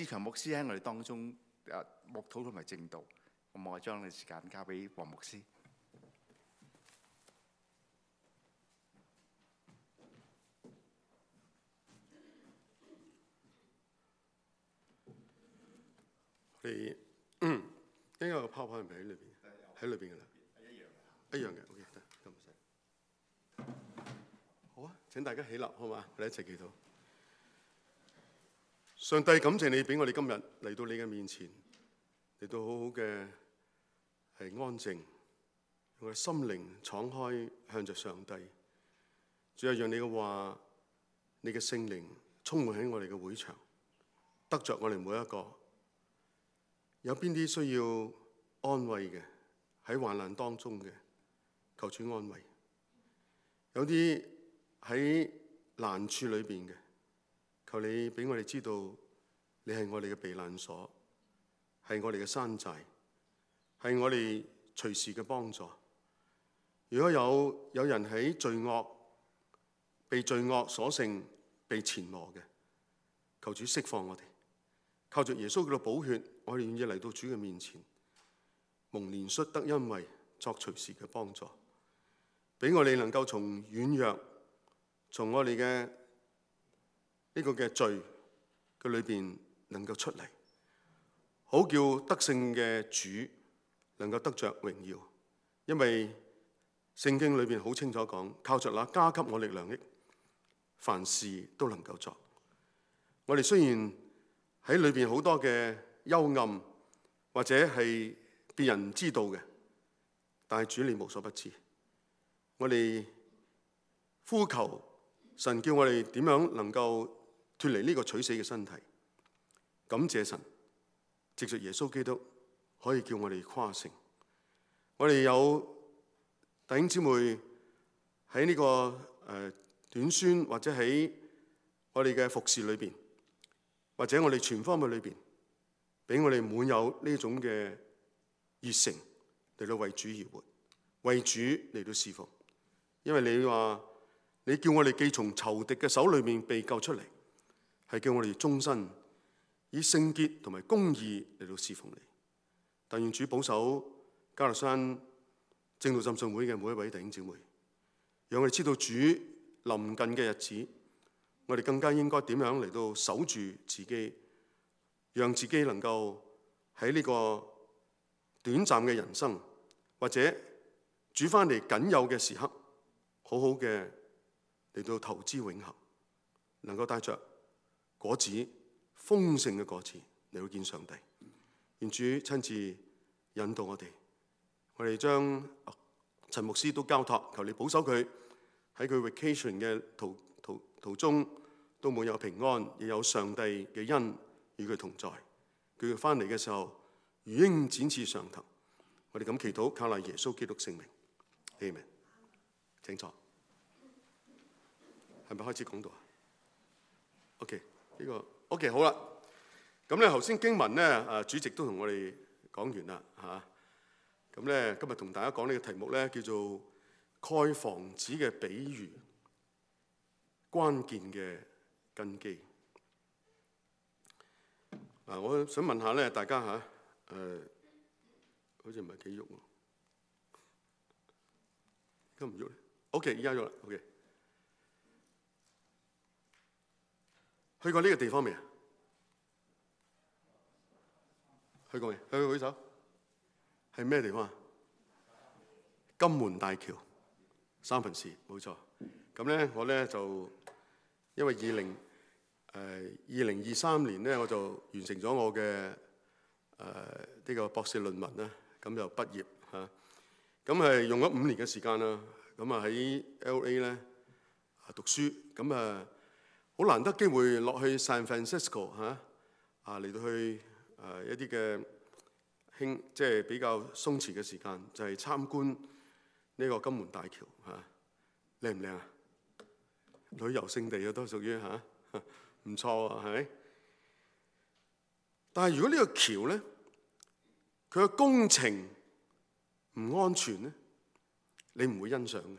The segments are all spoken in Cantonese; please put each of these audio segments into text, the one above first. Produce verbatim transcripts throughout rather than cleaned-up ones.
志強牧師喺我哋當中誒牧討同埋證道，咁我將你時間交俾黃牧師。你嗯應該個 PowerPoint 係咪喺裏邊？喺裏邊㗎啦，一樣嘅，一樣嘅。OK， 得，咁唔使。好啊，請大家起立，好嘛？我哋一齊祈禱。上帝，感謝你俾我哋今日嚟到你嘅面前，嚟到好好嘅係安靜，用我哋心靈敞開向着上帝。主啊，讓你嘅話、你嘅聖靈充滿喺我哋嘅會場，得着我哋每一個。有邊啲需要安慰嘅，喺患難當中嘅，求主安慰；有啲喺難處裏邊嘅，求你俾我哋知道，你係我哋嘅避難所，係我哋嘅山寨，係我哋隨時嘅幫助。如果有有人喺罪惡被罪惡所勝，被纏磨嘅，求主釋放我哋。靠着耶穌嘅寶血，我哋願意嚟到主嘅面前，蒙憐恤得恩惠，作隨時嘅幫助，俾我哋能夠從軟弱，從我哋嘅呢個嘅罪嘅裏邊能夠出嚟，好叫得勝嘅主能夠得着榮耀。因為聖經裏邊好清楚講，靠着那加給我力量的，凡事都能夠作。我哋雖然喺裏邊好多嘅幽暗，或者係別人唔知道嘅，但係主你無所不知。我哋呼求神叫我哋點樣能夠脫離呢個取死嘅身體。感謝神，藉着耶穌基督可以叫我哋誇勝。我哋有弟兄姊妹喺呢個誒短宣，或者喺我哋嘅服侍裏邊，或者我哋全方位裏邊，俾我哋滿有呢種嘅熱誠嚟到為主而活，為主嚟到侍奉。因為你話你叫我哋既從仇敵嘅手裏面被救出嚟，係叫我哋終身以聖潔同埋公義嚟到侍奉你。但願主保守加略山正道浸信會嘅每一位弟兄姊妹，讓我哋知道主臨近嘅日子，我哋更加應該點樣嚟到守住自己，讓自己能夠喺呢個短暫嘅人生，或者主翻嚟僅有嘅時刻，好好嘅嚟到投資永恆，能夠帶着果子豐盛嘅果子嚟到見上帝。願主親自引導我哋，我哋將陳牧師都交託，求你保守佢喺佢 vacation 嘅途途途中，都冇有平安，亦有上帝嘅恩與佢同在。佢翻嚟嘅時候，如鷹展翅上騰。我哋咁祈禱，靠賴耶穌基督聖名。阿們。請坐。係咪開始講道啊 ？OK， 呢個 OK 好啦。咁咧頭先經文咧，誒主席都同我哋講完啦嚇。咁咧今日同大家講呢個題目咧，叫做蓋房子嘅比喻，關鍵嘅根基。嗱，我想問下咧，大家嚇誒，好似唔係幾喐喎，而家唔喐咧。OK， 而家喐啦。OK， 去過呢個地方未啊？去過未？去過舉手。係咩地方啊？金門大橋，三藩市，冇錯。咁咧，我咧就因為二零誒二零二三年咧，我就完成咗我嘅誒呢個博士論文啦，咁就畢業嚇。咁係用咗五年嘅時間啦。咁啊喺 L A 咧讀書，咁啊好難得機會落去 San Francisco 嚇啊嚟到去誒一啲嘅興即係比較鬆弛嘅時間，就係、是、參觀呢個金門大橋嚇，靚唔靚啊？旅遊勝地啊，都屬於嚇，唔錯啊，係咪？但係如果呢個橋咧，佢嘅工程唔安全咧，你唔會欣賞嘅，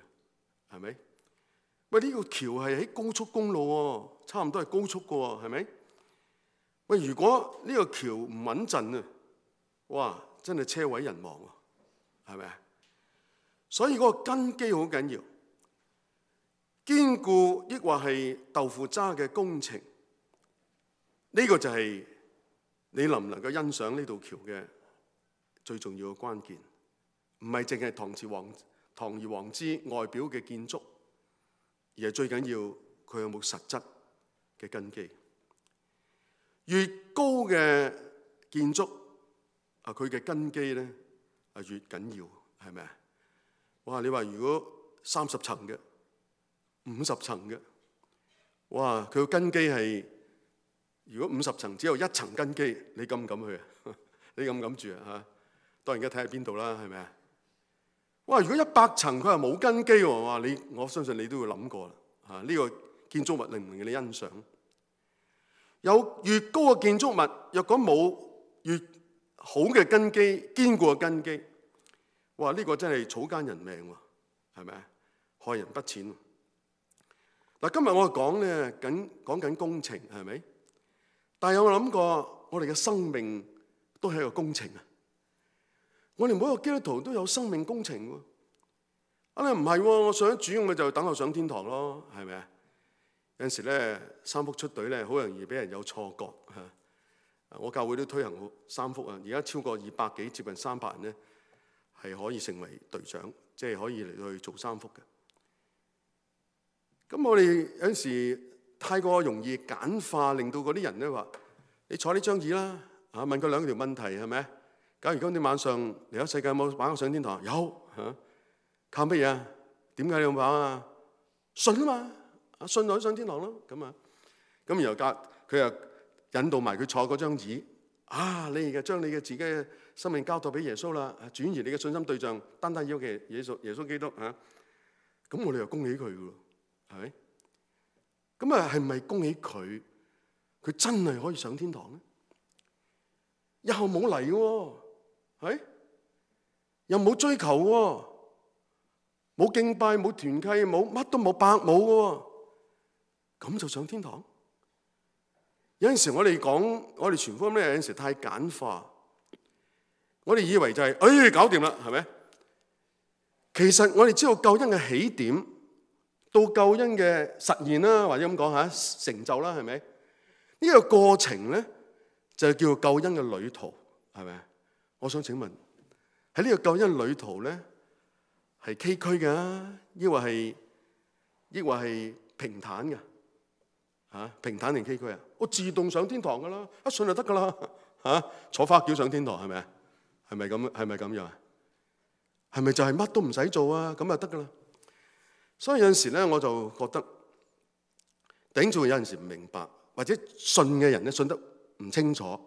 係咪？喂，呢個橋係喺高速公路喎，差唔多係高速嘅喎，係咪？喂，如果呢個橋唔穩陣啊，哇，真係車毀人亡喎，係咪啊？所以嗰個根基好緊要，堅固抑或係豆腐渣嘅工程，呢個就係你能唔能夠欣賞呢道橋嘅最重要嘅關鍵。唔係淨係堂而皇堂而皇之外表嘅建築，而係最緊要佢有冇實質嘅根基。越高嘅建築啊，佢嘅根基咧啊越緊要，係咪啊？哇！你話如果三十層嘅、五十層嘅，哇！佢個根基係如果五十層只有一層根基，你敢唔敢去啊？你敢唔敢住啊？嚇！當然而家睇下邊度啦，係咪啊？哇！如果一百層佢係冇根基喎，哇！你我相信你都會諗過啦嚇。呢個建築物令唔令你欣賞？有越高嘅建築物，若果冇越好嘅根基、堅固嘅根基，哇！呢個真係草菅人命喎，係咪啊？害人不淺。嗱，今日我講咧緊講緊工程，係咪？但係有冇諗過，我哋嘅生命都係一個工程啊！我哋每一個基督徒都有生命工程喎。啊，你唔係喎，我上主咁咪就等候上天堂咯，係咪啊？有陣時咧，三福出隊咧，好容易俾人有錯覺嚇。我教會都推行三福啊，而家超過二百幾，接近三百人咧，係可以成為隊長，即係可以嚟去做三福嘅。咁我哋有陣時太過容易簡化，令到嗰啲人咧話：你坐呢張椅啦，嚇問佢兩條問題係咪？假如今天晚上嚟咗世界有冇把握上天堂？有嚇，靠乜嘢啊？點解你要把握啊？信啊嘛！信就上天堂咯，咁啊，咁然後教佢又引導埋佢坐嗰張椅，啊，你而家將你嘅自己嘅生命交託俾耶穌啦，轉移你嘅信心對象，單單要嘅耶穌耶穌基督嚇，咁我哋又恭喜佢嘅喎，係咪？咁啊，係咪恭喜佢？佢真係可以上天堂咧？以後冇嚟喎，係又冇追求喎，冇敬拜，冇團契，冇乜都冇，白冇嘅喎。咁就上天堂？有陣時我哋講，我哋傳福音咧，有陣時太簡化。我哋以為就係、是，哎，搞掂啦，係咪？其實我哋知道救恩嘅起點到救恩嘅實現啦，或者咁講嚇，成就啦，係咪？呢、這個過程咧就叫救恩嘅旅途，係咪？我想請問喺呢個救恩旅途咧，係崎嶇嘅，抑或係抑或係平坦嘅？嚇，平坦定崎嶇啊？我自動上天堂噶啦，一信就得噶啦嚇，坐花轎上天堂係咪啊？係咪咁？係咪咁樣啊？係咪就係乜都唔使做啊？咁就得噶啦。所以有陣時咧，我就覺得頂住有陣時唔明白，或者信嘅人咧信得唔清楚，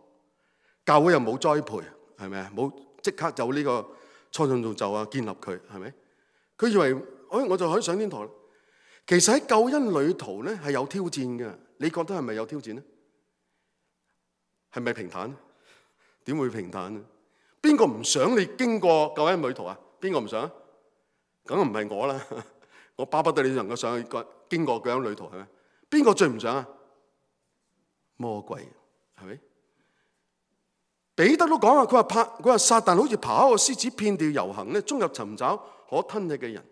教會又冇栽培，係咪啊？冇即刻有呢個初信造就啊，建立佢係咪？佢以為哎我就可以上天堂。其實喺救恩旅途咧係有挑戰嘅，你覺得係咪有挑戰咧？係咪平坦？點會平坦咧？邊個唔想你經過救恩旅途啊？邊個唔想？梗係唔係我啦！我巴不得你能夠上去經過救恩旅途，係咪？邊個最唔想啊？魔鬼係咪？彼得都講啊，佢話怕，佢話撒旦好似爬一個獅子，遍地遊行咧，終日尋找可吞吃嘅人。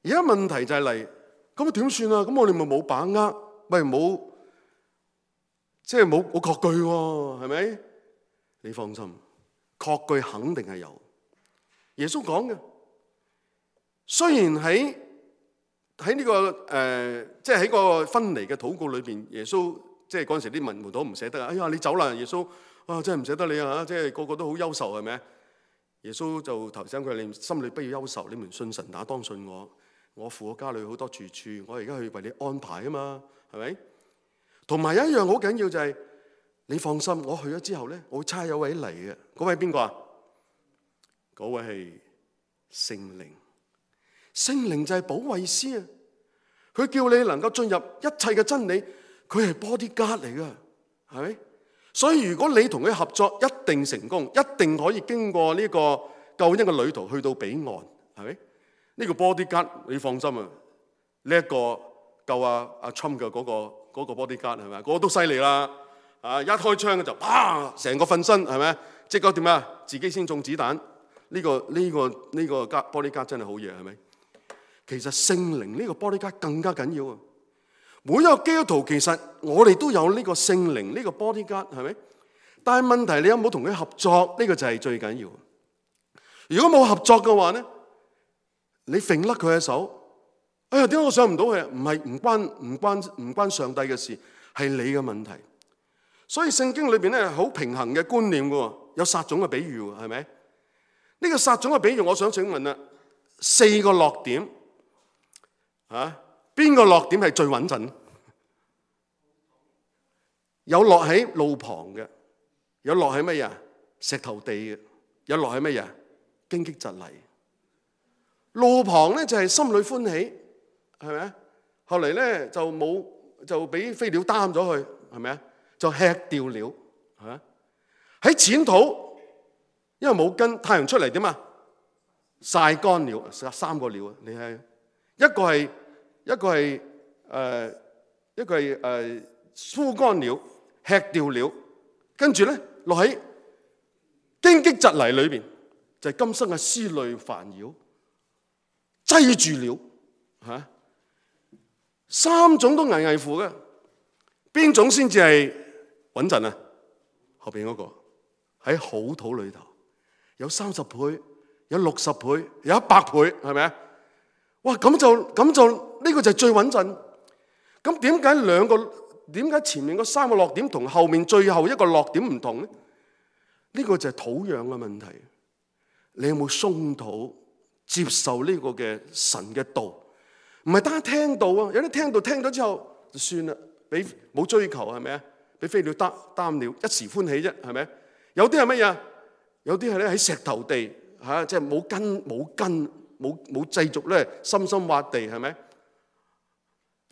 而家問題就係嚟，咁啊點算啊？咁我哋咪冇把握，咪冇，即係冇冇確據喎，係咪？你放心，確據肯定係有。耶穌講嘅，雖然喺喺呢個誒，即係喺個分離嘅禱告裏邊，耶穌即係嗰陣時啲門徒唔捨得啊！哎呀，你走啦，耶穌啊，真係唔捨得你啊！即係個個都好憂愁，係咪？耶穌就提醒佢：你心裏不要憂愁，你們信神，那當信我。我父我家裏好多住處，我而家去為你安排啊嘛，係咪？同埋有一樣好緊要就係、是，你放心，我去咗之後咧，我會差有位嚟嘅。嗰位邊個啊？嗰位係聖靈。聖靈就係保惠師啊！佢叫你能夠進入一切嘅真理，佢係 bodyguard 嚟噶，係咪？所以如果你同佢合作，一定成功，一定可以經過呢個救恩嘅旅途去到彼岸，係咪？呢個 bodyguard 你放心啊！呢一個救阿阿 Trump 嘅嗰個嗰個 bodyguard 係咪？嗰個都犀利啦，啊，一開槍就啪，成個瞓身係咪？即刻點啊？自己先中子彈。呢個呢個呢個玻璃膠真係好嘢係咪？其實聖靈呢個玻璃膠更加緊要啊！每一個基督徒其實我哋都有呢個聖靈呢個玻璃膠係咪？但係問題你有冇同佢合作？呢個就係最緊要。如果冇合作嘅話咧，你揈甩佢嘅手，哎呀點解我上唔到去啊？唔係唔關唔關唔關上帝嘅事，係你嘅問題。所以聖經裏邊咧好平衡嘅觀念嘅，有撒種嘅比喻係咪？呢個撒種嘅比喻，我想請問啦，四個落點啊，邊個落點係最穩陣？有落喺路旁嘅，有落喺乜嘢？石頭地嘅，有落喺乜嘢？荊棘蒺藜。路旁咧就係心裏歡喜，係咪？後嚟咧就冇就俾飛鳥擔咗去，係咪啊？就吃掉了，係咪？喺淺土，因為冇根，太陽出嚟點啊？曬乾了，三個了啊！你係一個係一個係誒、呃、一個係誒枯乾了，吃掉了，跟住咧落喺荊棘蒺藜裏邊，就係、是、今生嘅思慮煩擾，擠住了嚇。三種都危危乎嘅，邊種先至係穩陣啊？後邊嗰個喺好土裏頭，有三十倍，有六十倍，有一百倍，係咪啊？哇！咁就咁就呢個就係最穩陣。咁點解兩個點解前面嗰三個落點同後面最後一個落點唔同咧？呢個就係土壤嘅問題。你有冇鬆土接受呢個嘅神嘅道？唔係單聽到啊，有啲聽到聽咗之後就算啦，俾冇追求係咪啊？俾飛鳥擔擔了，一時歡喜啫，係咪？有啲係乜嘢？有啲係咧喺石頭地嚇，即係冇根冇根冇冇繼續咧，深深挖地係咪？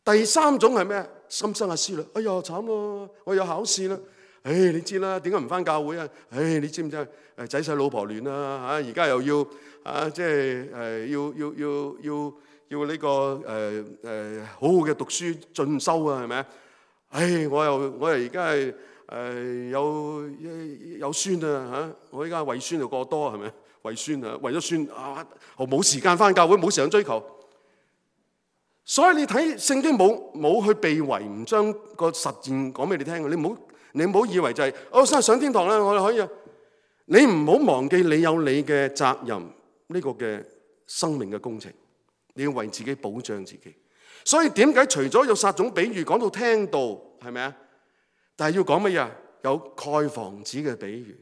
第三種係咩？心生嘅思慮，哎呀慘咯，我有考試啦！唉、哎，你知啦，點解唔返教會啊？唉、哎，你知唔知啊？誒仔細老婆亂啦嚇，而家又要啊，即係誒要要要要要呢、這個誒誒、呃呃、好好嘅讀書進修啊，係咪啊？唉、哎，我又我又而家係誒有有孫啊嚇，我依家為孫就過多係咪？為孫啊，為咗孫啊，我冇時間返教會，冇時間追求。所以你睇聖經冇冇去避諱，唔將個實踐講俾你聽嘅。你唔好你唔好以為就係、是、我想上天堂啦，我哋可以啊。你唔好忘記你有你嘅責任，呢、這個嘅生命嘅工程，你要為自己保障自己。所以點解除咗有撒種比喻講到聽道係咪啊？但係要講乜嘢？有蓋房子嘅比喻。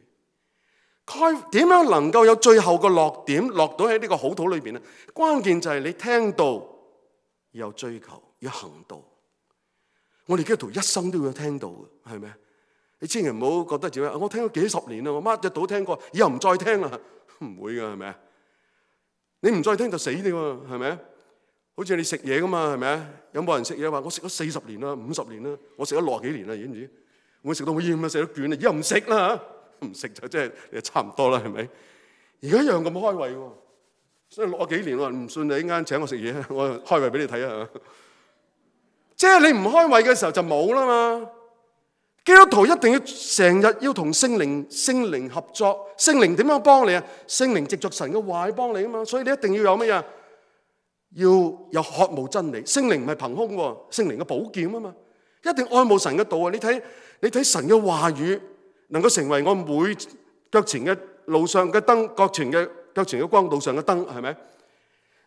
蓋點樣能夠有最後個落點落到喺呢個好土裏邊咧？關鍵就係你聽道。要有追求，要行道。我哋基督徒一生都要聽道嘅，係咪？你千祈唔好覺得自己，我聽咗幾十年啦，我乜嘢道聽過，以後唔再聽啦，唔會噶，係咪？你唔再聽就死你喎，係咪？好似你食嘢噶嘛，係咪？有冇人食嘢話我食咗四十年啦、五十年啦，我食咗六十幾年啦，知唔知？我食到好厭啊，食到倦啦，以後唔食啦嚇，唔食就即係差唔多啦，係咪？而家一樣咁開胃喎。所以六十幾年我唔信你一間請我食嘢，我開胃俾你睇下。即係你唔開胃嘅時候就冇啦嘛。基督徒一定要成日要同聖靈聖靈合作。聖靈點樣幫你啊？聖靈藉著神嘅話幫你啊嘛。所以你一定要有乜嘢？要有渴慕真理。聖靈唔係憑空喎，聖靈嘅寶劍啊嘛。一定愛慕神嘅道啊！你睇你睇神嘅話語能夠成為我每腳前嘅路上嘅燈，腳前嘅。腳前嘅光，路上嘅燈，係咪？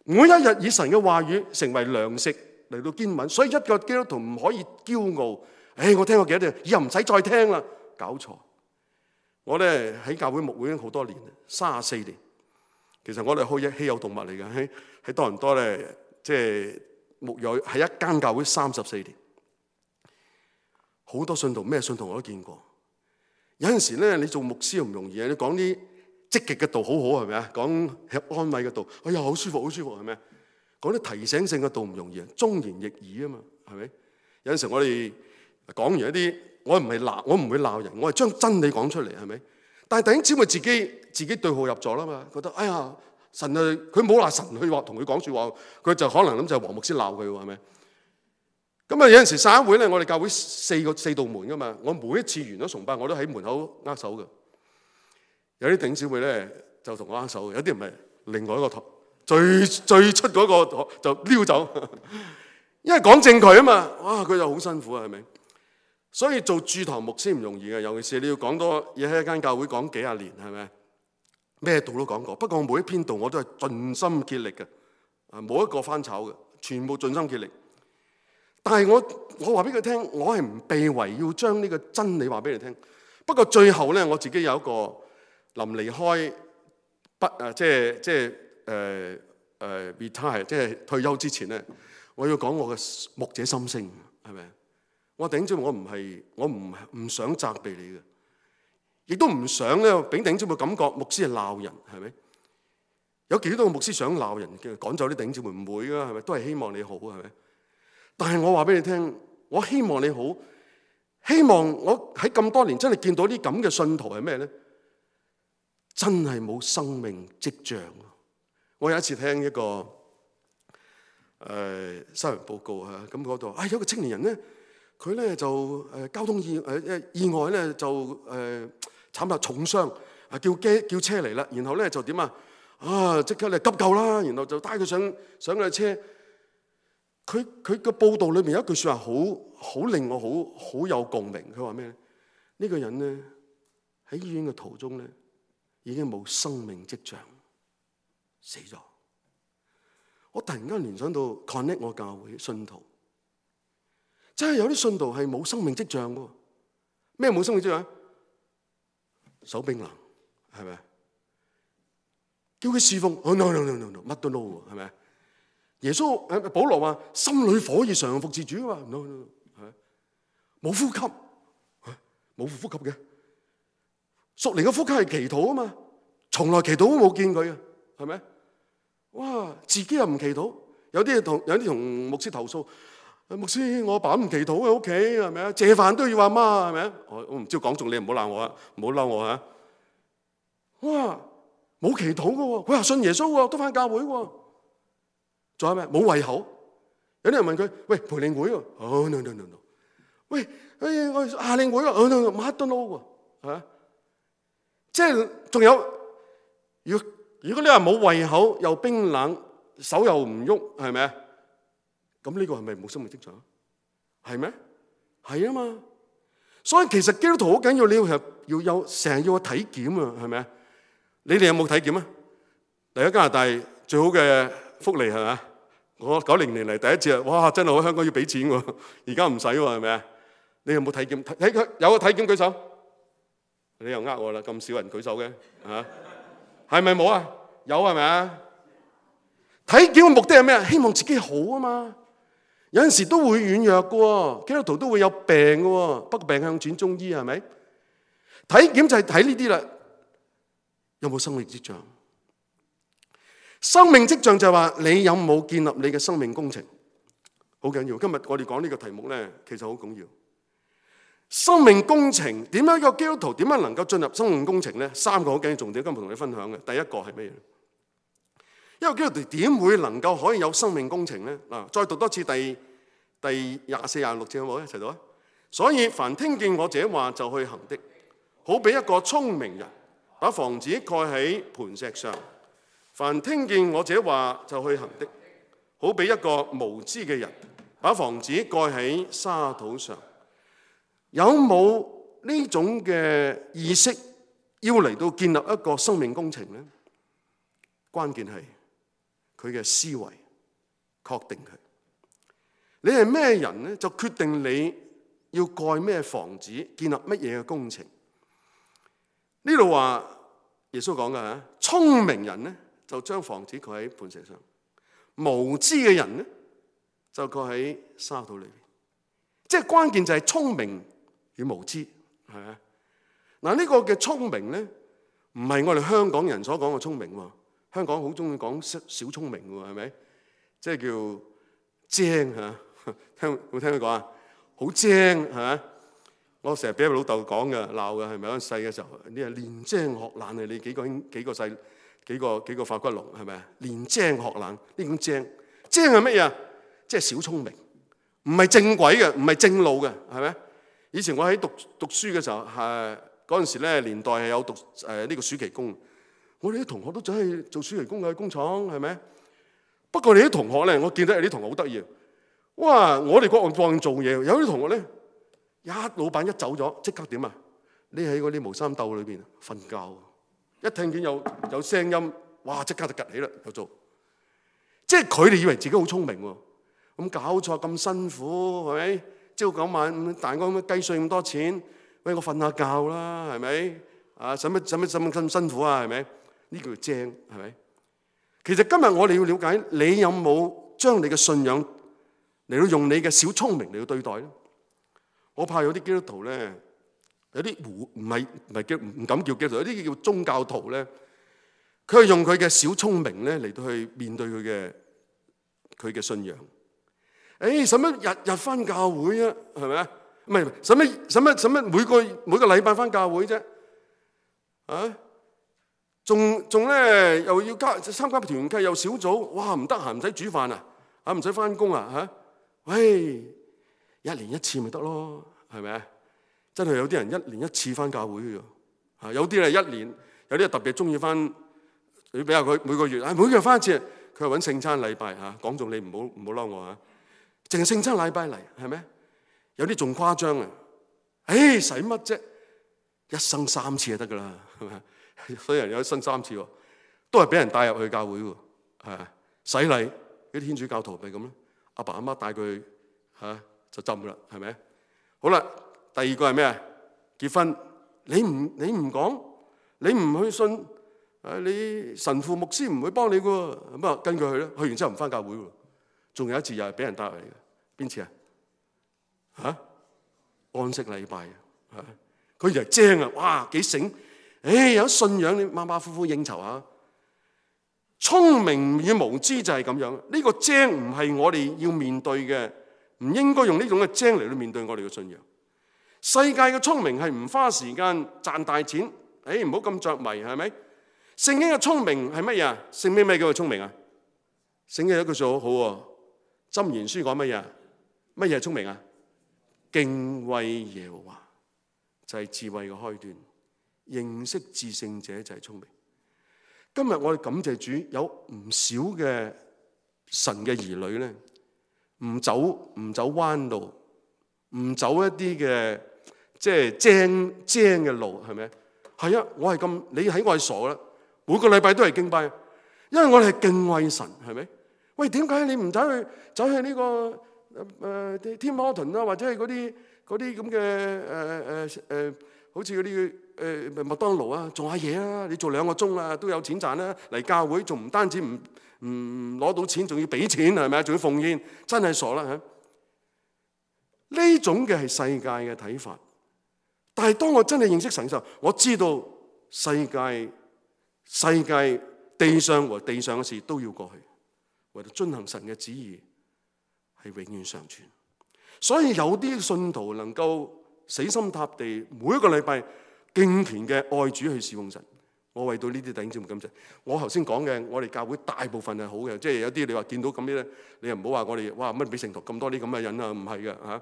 每一日以神嘅話語成為糧食嚟到堅穩，所以一個基督徒唔可以驕傲。唉，我聽過幾多年，以後唔使再聽啦。搞錯！我咧喺教會牧會已經好多年啦，三十四年。其實我哋係稀有動物嚟嘅，喺喺多倫多咧，即係牧養喺一間教會三十四年，好多信徒咩信徒我都見過。有陣時咧，你做牧師又唔容易啊！你講啲積極嘅道好好係咪啊？講安慰嘅道，哎呀好舒服好舒服係咪啊？講啲提醒性嘅道唔容易啊，忠言逆耳啊嘛，係咪？有陣時我哋講完一啲，我唔係鬧，我唔會鬧人，我係將真理講出嚟係咪？但係弟兄姊妹自己自己對號入座啦嘛，覺得哎呀神啊，佢冇話神去話同佢講説話，佢就可能諗就係黃牧師鬧佢喎係咪？咁啊有陣時散會咧，我哋教會四個四道門噶嘛，我每一次完咗崇拜，我都喺門口握手嘅。有啲頂姊妹咧就同我握手，有啲唔係，另外一個台最最出嗰個就溜走，因為講正佢啊嘛，哇佢就好辛苦啊，係咪？所以做駐堂牧師唔容易嘅，尤其是你要講多嘢喺一間教會講幾廿年，係咪？咩道都講過，不過我每一篇道我都係盡心竭力嘅，啊冇一個翻炒嘅，全部盡心竭力。但係我我話俾佢聽，我係唔避諱要將呢個真理話俾你聽。不過最後咧，我自己有一個臨離開不啊，即係即係誒誒 retire，即係退休之前咧，我要講我嘅牧者心聲，係咪？我頂住我唔係我唔唔想責備你嘅。亦都唔想咧，俾頂姊妹感覺牧師係鬧人，係咪？有幾多個牧師想鬧人嘅，趕走啲頂姊妹？唔會噶，係咪？都係希望你好，係咪？但係我話俾你聽，我希望你好，希望我喺咁多年真係見到啲咁嘅信徒係咩咧？真係冇生命跡象。我有一次聽一個誒、呃、新聞報告啊，咁嗰度啊有個青年人咧，佢咧就誒、呃、交通意誒誒、呃、意外咧就誒。呃慘啦，重傷啊！叫機叫車嚟啦，然後咧就點啊？啊，即刻嚟急救啦！然後就帶佢上上佢車。佢佢個報道裏面有一句説話好好令我好好有共鳴。佢話咩咧？呢個人咧喺醫院嘅途中咧已經冇生命跡象，死咗。我突然間聯想到 connect 我教會信徒，真係有啲信徒係冇生命跡象嘅。咩冇生命跡象？手冰冷，係咪？叫佢侍奉，哦 no no no no no， 乜都 no， 係咪？耶穌誒保羅話心裏火熱常服侍主啊嘛 ，no no， 係冇呼吸，冇呼吸嘅，屬靈嘅呼吸係祈禱啊嘛，從來祈禱都冇見佢啊，係咪？哇，自己又唔祈禱，有啲同有啲同牧師投訴。牧師，我阿爸唔祈禱喺屋企，係咪啊？謝飯都要阿媽，係咪啊？我我唔知講中你，唔好鬧我啊，唔好嬲我嚇。哇，冇祈禱嘅喎，佢話信耶穌喎，都返教會喎。仲有咩？冇胃口。有啲人問佢：喂，培靈會喎？哦 no no no no。喂，誒我夏令會喎？哦 no no， 乜都 no 喎，係咪？即係仲有，如果如果你話冇胃口，又冰冷，手又唔喐，係咪啊？咁呢個係咪冇生命跡象？係咩？係啊嘛。所以其實基督徒好緊要，你要係要有成日要去體檢啊，係咪啊？你哋有冇體檢啊？嚟咗加拿大最好嘅福利係咪？我九零年嚟第一次啊，哇！真係好，香港要俾錢喎，而家唔使喎，係咪啊？你有冇體檢？體體有個體檢舉手。你又呃我啦，咁少人舉手嘅嚇，係咪冇啊？有係咪啊？體檢嘅目的係咩？希望自己好啊嘛。有陣時都會軟弱嘅喎，基督徒都會有病嘅喎，不過病向轉中醫係咪？體檢就係睇呢啲啦，有冇生命跡象？生命跡象就係話你有冇建立你嘅生命工程，好緊要。今日我哋講呢個題目咧，其實好緊要。生命工程點樣？一個基督徒點樣能夠進入生命工程咧？三個好緊要重點，今日同你分享嘅。第一個係咩嘢？一個基督徒點會能夠可以有生命工程咧？嗱，再讀多次第第廿四、廿六節好冇？一齊讀啊！所以凡聽見我這話就去行的，好比一個聰明人把房子蓋喺磐石上。凡聽見我這話就去行的，好比一個無知嘅人把房子蓋喺沙土上。有冇呢種嘅意識要嚟到建立一個生命工程咧？關鍵係佢嘅思維，確定佢。你係咩人咧？就決定你要蓋咩房子，建立乜嘢嘅工程。呢度話耶穌講嘅嚇，聰明人咧就將房子蓋喺磐石上，無知嘅人咧就蓋喺沙土裏邊。即係關鍵就係聰明與無知，係咪啊？嗱，呢個嘅聰明咧，唔係我哋香港人所講嘅聰明喎。香港好中意講小聰明喎，係咪？即係叫精嚇，聽有冇聽佢講啊？好精係咪？我成日俾老豆講嘅鬧嘅，係咪？嗰陣細嘅時候，你係練精學懶啊！你幾個幾個細幾個幾個化骨龍係咪啊？練精學懶呢種精，精係乜嘢啊？即係小聰明，唔係正軌嘅，唔係正路嘅，係咪？以前我喺讀讀書嘅時候，誒嗰陣時咧年代係有讀誒呢、呃這個暑期工，我哋啲同學都走去做暑期工嘅工廠，係咪？不過你啲同學咧，我見到有啲同學好得意，哇！我哋各行各業做嘢，有啲同學咧，一老闆一走咗，即刻點啊？匿喺嗰啲毛衫竇裏邊瞓覺，一聽見有有聲音，哇！即刻就趌起啦，又做。即係佢哋以為自己好聰明喎，咁搞錯咁辛苦係咪？朝九晚五，彈嗰咁雞碎咁多錢，喂我瞓下覺啦，係咪？啊使乜使乜使乜咁辛苦啊？係咪？呢叫精係咪？其實今日我哋要了解，你有冇將你嘅信仰嚟到用你嘅小聰明嚟到對待咧？我怕有啲基督徒咧，有啲唔唔係唔係叫唔敢叫基督徒，有啲叫宗教徒咧，佢係用佢嘅小聰明咧嚟到去面對佢嘅佢嘅信仰。誒，使乜日日返教會啊？係咪啊？唔係，使乜使乜使乜每個每個禮拜返教會啫？啊？仲仲咧又要加參加團契又小組，哇！唔得閒唔使煮飯啊，啊唔使返工啊嚇！喂，一年一次咪得咯，係咪啊？真係有啲人一年一次返教會嘅喎，啊有啲係一年，有啲係特別中意返，你比較佢每個月，啊每個月返一次，佢係揾聖餐禮拜嚇，講中你唔好唔好嬲我嚇，淨係聖餐禮拜嚟係咪？有啲仲誇張啊！誒使乜啫？一生三次就得㗎啦，係咪？所以人有一生三次喎，都係俾人帶入去教會喎，係洗禮啲天主教徒咪咁咯，阿爸阿媽帶佢嚇就浸啦，係咪？好啦，第二個係咩啊？結婚，你唔你唔講，你唔去信，誒你神父牧師唔會幫你嘅喎，咁啊跟佢去啦，去完之後唔返教會喎，仲有一次又係俾人帶入嚟嘅，邊次啊？嚇安息禮拜啊，佢就係精啊，哇幾醒！誒有信仰你馬馬虎虎應酬下，聰明與無知就係咁樣。呢個精唔係我哋要面對嘅，唔應該用呢種嘅精嚟到面對我哋嘅信仰。世界嘅聰明係唔花時間賺大錢，誒唔好咁着迷係咪？聖經嘅聰明係乜嘢啊？聖經咩叫做聰明啊？聖經有一句說好喎，箴言書講乜嘢？乜嘢係聰明啊？敬畏耶和華就係智慧嘅開端。認識至聖者就係聰明。今日我哋感謝主，有唔少嘅神嘅兒女咧，唔走唔走彎路，唔走一啲嘅即係精精嘅路，係咪？係啊，我係咁，你喺我係傻啦。每個禮拜都係敬拜，因為我哋係敬畏神，係咪？喂，點解你唔走去走去呢個誒 Tim Horton 啊，或者係嗰啲嗰啲咁嘅誒誒誒，好似嗰啲？誒麥當勞啊，做下嘢啊！你做兩個鐘啊，都有錢賺啦。嚟教會仲唔單止唔唔攞到錢，仲要俾錢係咪啊？仲要奉獻，真係傻啦嚇！呢種嘅係世界嘅睇法，但係當我真係認識神嘅時候，我知道世界世界地上和地上嘅事都要過去，為咗遵行神嘅旨意係永遠常存。所以有啲信徒能夠死心塌地，每一個禮拜敬虔嘅愛主去侍奉神，我為到呢啲弟兄姊妹感謝。我頭先講嘅，我哋教會大部分係好嘅，即係有啲你話見到咁啲咧，你又唔好話我哋哇乜俾聖徒咁多啲咁嘅人啊，唔係嘅嚇。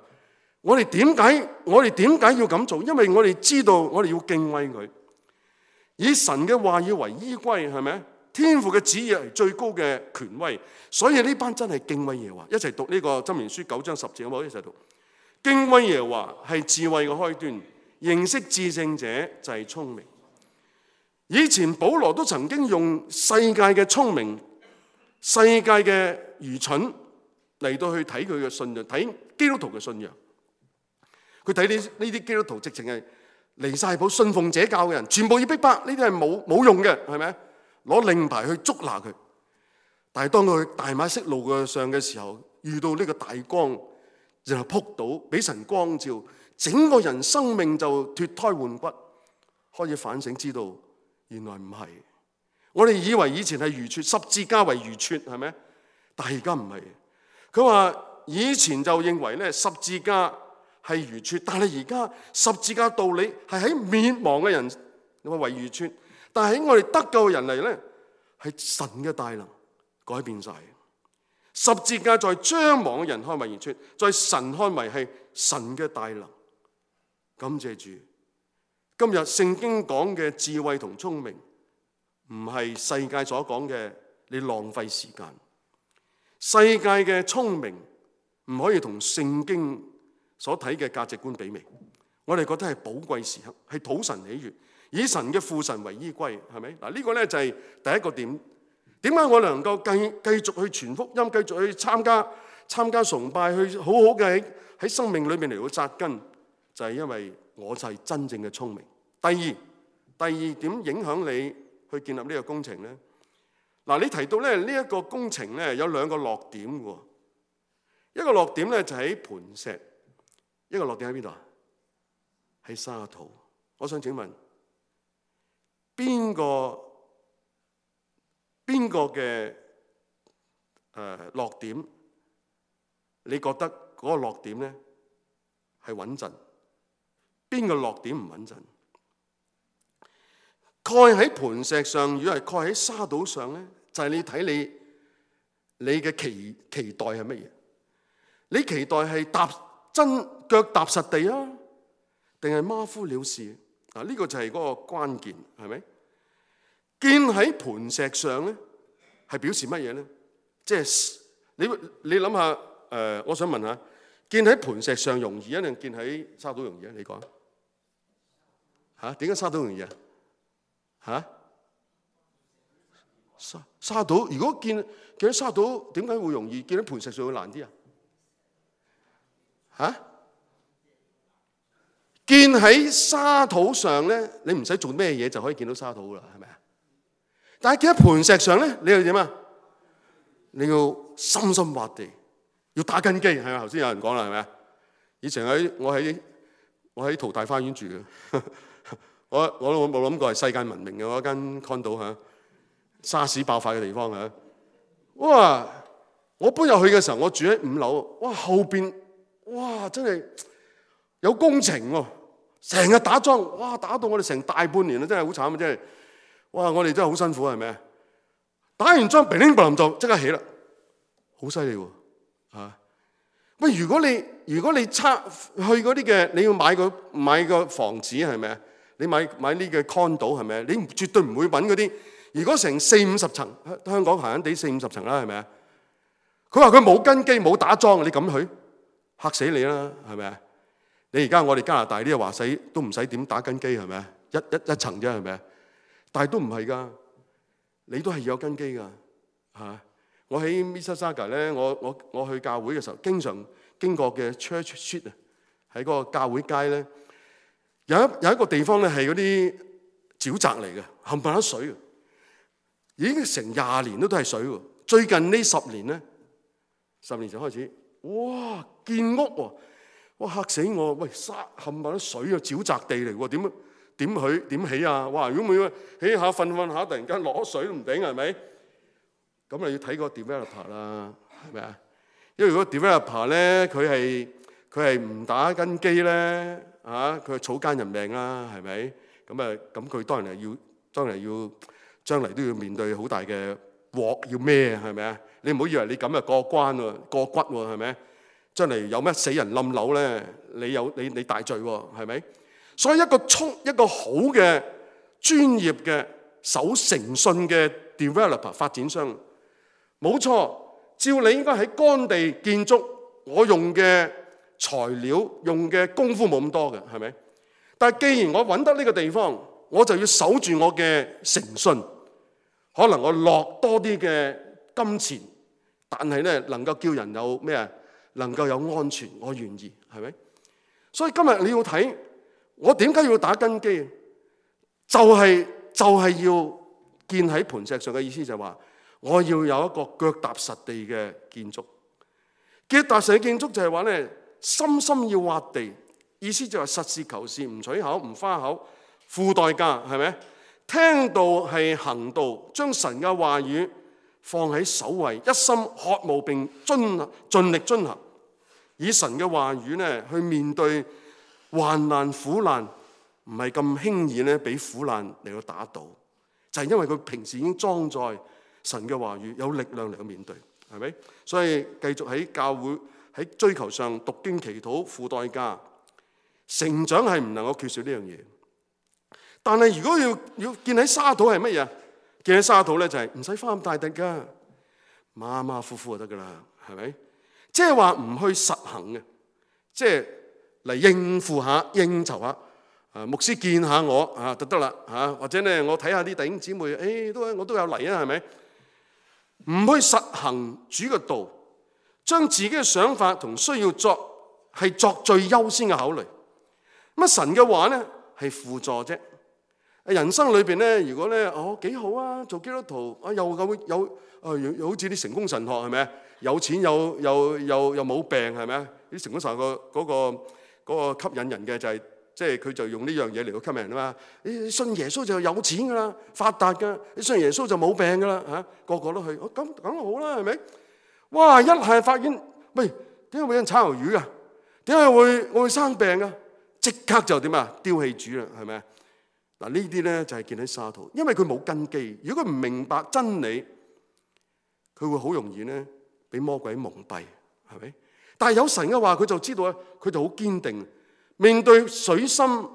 我哋點解我哋點解要咁做？因為我哋知道我哋要敬畏佢，以神嘅話語為依歸，係咪？天父嘅旨意係最高嘅權威，所以呢班真係敬畏耶和華。一齊讀呢個箴言書九章十節，好唔好？一齊讀。敬畏耶和華係智慧嘅開端。認識至聖者就係聰明。以前保羅都曾經用世界嘅聰明、世界嘅愚蠢嚟到去睇佢嘅信仰，睇基督徒嘅信仰。佢睇呢呢啲基督徒直情係離晒譜、信奉邪教嘅人，全部要逼迫，呢啲係冇冇用嘅，係咪？攞令牌去捉拿佢。但係當佢大馬色路嘅上嘅時候，遇到呢個大光，然後撲倒，俾神光照。整個人生命就脫胎換骨，開始反省，知道原來唔係。我哋以為以前係愚拙，十字架為愚拙，係咪？但係而家唔係。佢話以前就認為咧十字架係愚拙，但係而家十字架道理係喺滅亡嘅人你話為愚拙，但係喺我哋得救嘅人嚟咧，係神嘅大能改變晒。十字架在將亡嘅人看為然出，在神看為係神嘅大能。感謝主，今日聖經講嘅智慧同聰明，唔係世界所講嘅你浪費時間。世界嘅聰明唔可以同聖經所睇嘅價值觀媲美。我哋覺得係寶貴時刻，係討神喜悅，以神嘅父神為依歸，係咪？嗱，呢個咧就係第一個點。點解我能夠繼繼續去傳福音，繼續去參加參加崇拜，去好好嘅喺喺生命裏面嚟到扎根，就係因為我就係真正嘅聰明。第二，第二點影響你去建立呢個工程咧。嗱，你提到咧呢一個工程咧有兩個落點喎，一個落點咧就喺磐石，一個落點喺邊度啊？喺沙土。我想請問邊個？邊個嘅誒落點？你覺得嗰個落點咧係穩陣？邊個落點唔穩陣？蓋喺磐石上，如果係蓋喺沙土上咧，就係、是、你睇你你嘅期期待係乜嘢？你期待係踏真腳踏實地啊，定係馬虎了事？啊，呢個就係嗰個關鍵，係咪？建喺磐石上咧，係表示乜嘢咧？即係你你諗下誒，我想問下，建喺磐石上容易，定建喺沙土容易啊？你講嚇，點解沙土容易啊？嚇，沙沙土如果建建喺沙土，點解會容易？建喺磐石上會難啲啊？嚇？建喺沙土上咧，你唔使做咩嘢就可以見到沙土啦，係咪啊？但係建喺磐石上咧，你要點啊？你要深深挖地，要打根基，係咪？頭先有人講啦，係咪啊？以前喺我喺我喺淘大花園住嘅，我我都冇諗過係世界聞名嘅嗰間 condo 嚇，沙士爆發嘅地方嚇。哇！我搬入去嘅時候，我住喺五樓，哇後邊哇真係有工程喎，成日打樁，哇打到我哋成大半年啦，真係好慘啊！真係。哇！我哋真係好辛苦，係咪啊？打完樁，乒乒乓乓就即刻起啦，好犀利喎！嚇喂，如果你如果你測去嗰啲嘅，你要買個買個房子係咪啊？你買買呢個 condo 係咪啊？你絕對唔會揾嗰啲。如果成四五十層，香港閒閒地四五十層啦，係咪啊？佢話佢冇根基冇打樁，你敢去？嚇死你啦，係咪啊？你而家我哋加拿大呢個話使都唔使點打根基係咪啊？一一一層啫係咪啊？但係都唔係㗎，你都係要有根基㗎嚇。我喺 Mississauga 咧，我我我去教會嘅時候，經常經過嘅 Church Street 啊，喺嗰個教會街咧，有一有一個地方咧係嗰啲沼澤嚟嘅，冚唪唥水，已經成廿年都都係水喎。最近呢十年咧，十年前開始，哇建屋喎，哇嚇死我！喂沙冚唪唥水啊，沼澤地嚟喎，點啊？點起點起啊！哇！如果每起下瞓瞓下，突然間落咗水都唔頂，係咪？咁啊要睇個 developer 啦，係咪啊？因為如果 developer 咧，佢係佢係唔打根基咧，嚇佢係草菅人命啦，係咪？咁啊咁佢當然係要，當然係要將嚟都要面對好大嘅鑊要孭，係咪啊？你唔好以為你咁啊過關喎，過骨喎，係咪？將嚟有咩死人冧樓咧？你有你你大罪喎，係咪？所以一個聰一個好嘅專業嘅守誠信嘅 developer 發展商，冇錯，照你應該喺乾地建築，我用嘅材料用嘅功夫冇咁多嘅，係咪？但係既然我揾得呢個地方，我就要守住我嘅誠信，可能我落多啲嘅金錢，但係咧能夠叫人有咩啊？能夠有安全，我願意，係咪？所以今日你要睇。我點解要打根基？就係、是、就係、是、要建喺磐石上嘅意思就係話，我要有一個腳踏實地嘅建築。腳踏實地建築就係話咧，深深要挖地，意思就係實事求是，唔取巧，唔花口，付代價，係咪？聽道係行道，將神嘅話語放喺首位，一心渴慕並遵盡力遵行，以神嘅話語咧去面對患難苦難，唔係咁輕易咧，俾苦難嚟到打倒，就係因為佢平時已經裝載神嘅話語，有力量嚟到面對。係咪？所以繼續喺教會喺追求上讀經祈禱付代價，成長係唔能夠缺少呢樣嘢。但係如果要要建喺沙土係乜嘢？建喺沙土咧就係唔使花咁大力㗎，馬馬虎虎就得㗎啦，係咪？即係話唔去實行嘅，即係嚟應付下、應酬下。啊，牧師見下我啊就得啦嚇，或者咧我睇下啲弟兄姊妹，誒、哎、都我都有嚟啊，係咪？唔去實行主嘅道，將自己嘅想法同需要作係作最優先嘅考慮。咁啊神嘅話咧係輔助啫。人生裏邊咧，如果咧哦幾好啊，做基督徒啊又有有啊，好似啲成功神學係咪？有錢有又又又冇病係咪？啲成功神學個嗰個嗰個吸引人嘅就係。即係佢就用呢樣嘢嚟到吸引人啊嘛！你信耶穌就有錢噶啦，發達噶；你信耶穌就冇病噶啦嚇，個個都去。哦，咁咁好啦，係咪？哇！一係發現，喂，點解會有人炒魷魚噶？點解會我會生病噶？即刻就點啊？丟棄主啦，係咪？嗱呢啲咧就係建喺沙土，因為佢冇根基。如果佢唔明白真理，佢會好容易咧俾魔鬼蒙蔽，係咪？但係有神嘅話，佢就知道咧，佢就好堅定。面對水深誒、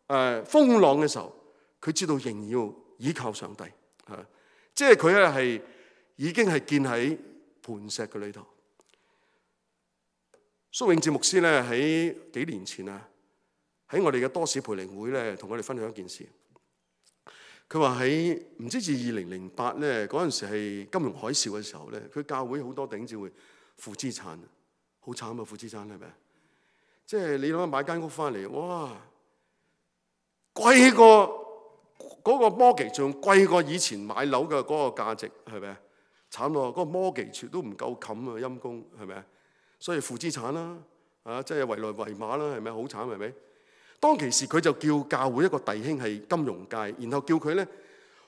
呃、風浪嘅時候，佢知道仍要依靠上帝，嚇、啊，即係佢咧係已經係建喺磐石嘅裏頭。蘇永智牧師咧喺幾年前啊，喺我哋嘅多士培靈會咧，同我哋分享一件事。佢話喺唔知至二零零八咧嗰陣時係金融海嘯嘅時候咧，佢教會好多弟兄姊妹負資產，好慘啊！負資產係咪？即係你諗下買間屋翻嚟，哇，貴過嗰個 mortgage，仲貴過以前買樓嘅嗰個價值，係咪啊？慘喎，嗰個 mortgage都唔夠冚啊，陰公係咪啊？所以負資產啦，啊，即係圍來圍馬啦，係咪好慘係咪？當其時佢就叫教會一個弟兄係金融界，然後叫佢咧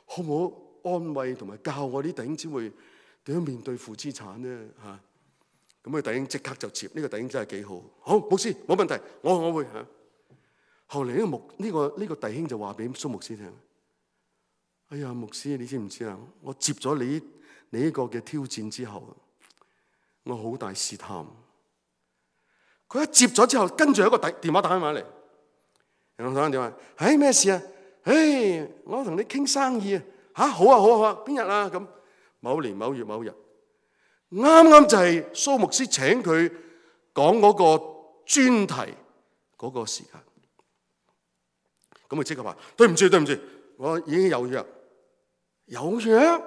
好唔好安慰同埋教我啲弟兄姊妹點樣面對負資產咧嚇。咁佢弟兄即刻就接，呢、這個弟兄真係幾好。好，牧師冇問題，我我會嚇。後嚟呢個牧呢、這個呢、這個弟兄就話俾蘇牧師聽：哎呀，牧師你知唔知啊？我接咗你你呢個嘅挑戰之後，我好大試探。佢一接咗之後，跟住有一個電電話打翻埋嚟，然後打翻電話，唉咩事啊？唉，我同你傾生意啊！嚇，好啊好啊好啊，邊日啊？咁某年某月某日。啱啱就係蘇牧師請佢講嗰個專題嗰個時間，咁佢即刻話：對唔住對唔住，我已經有約，有約？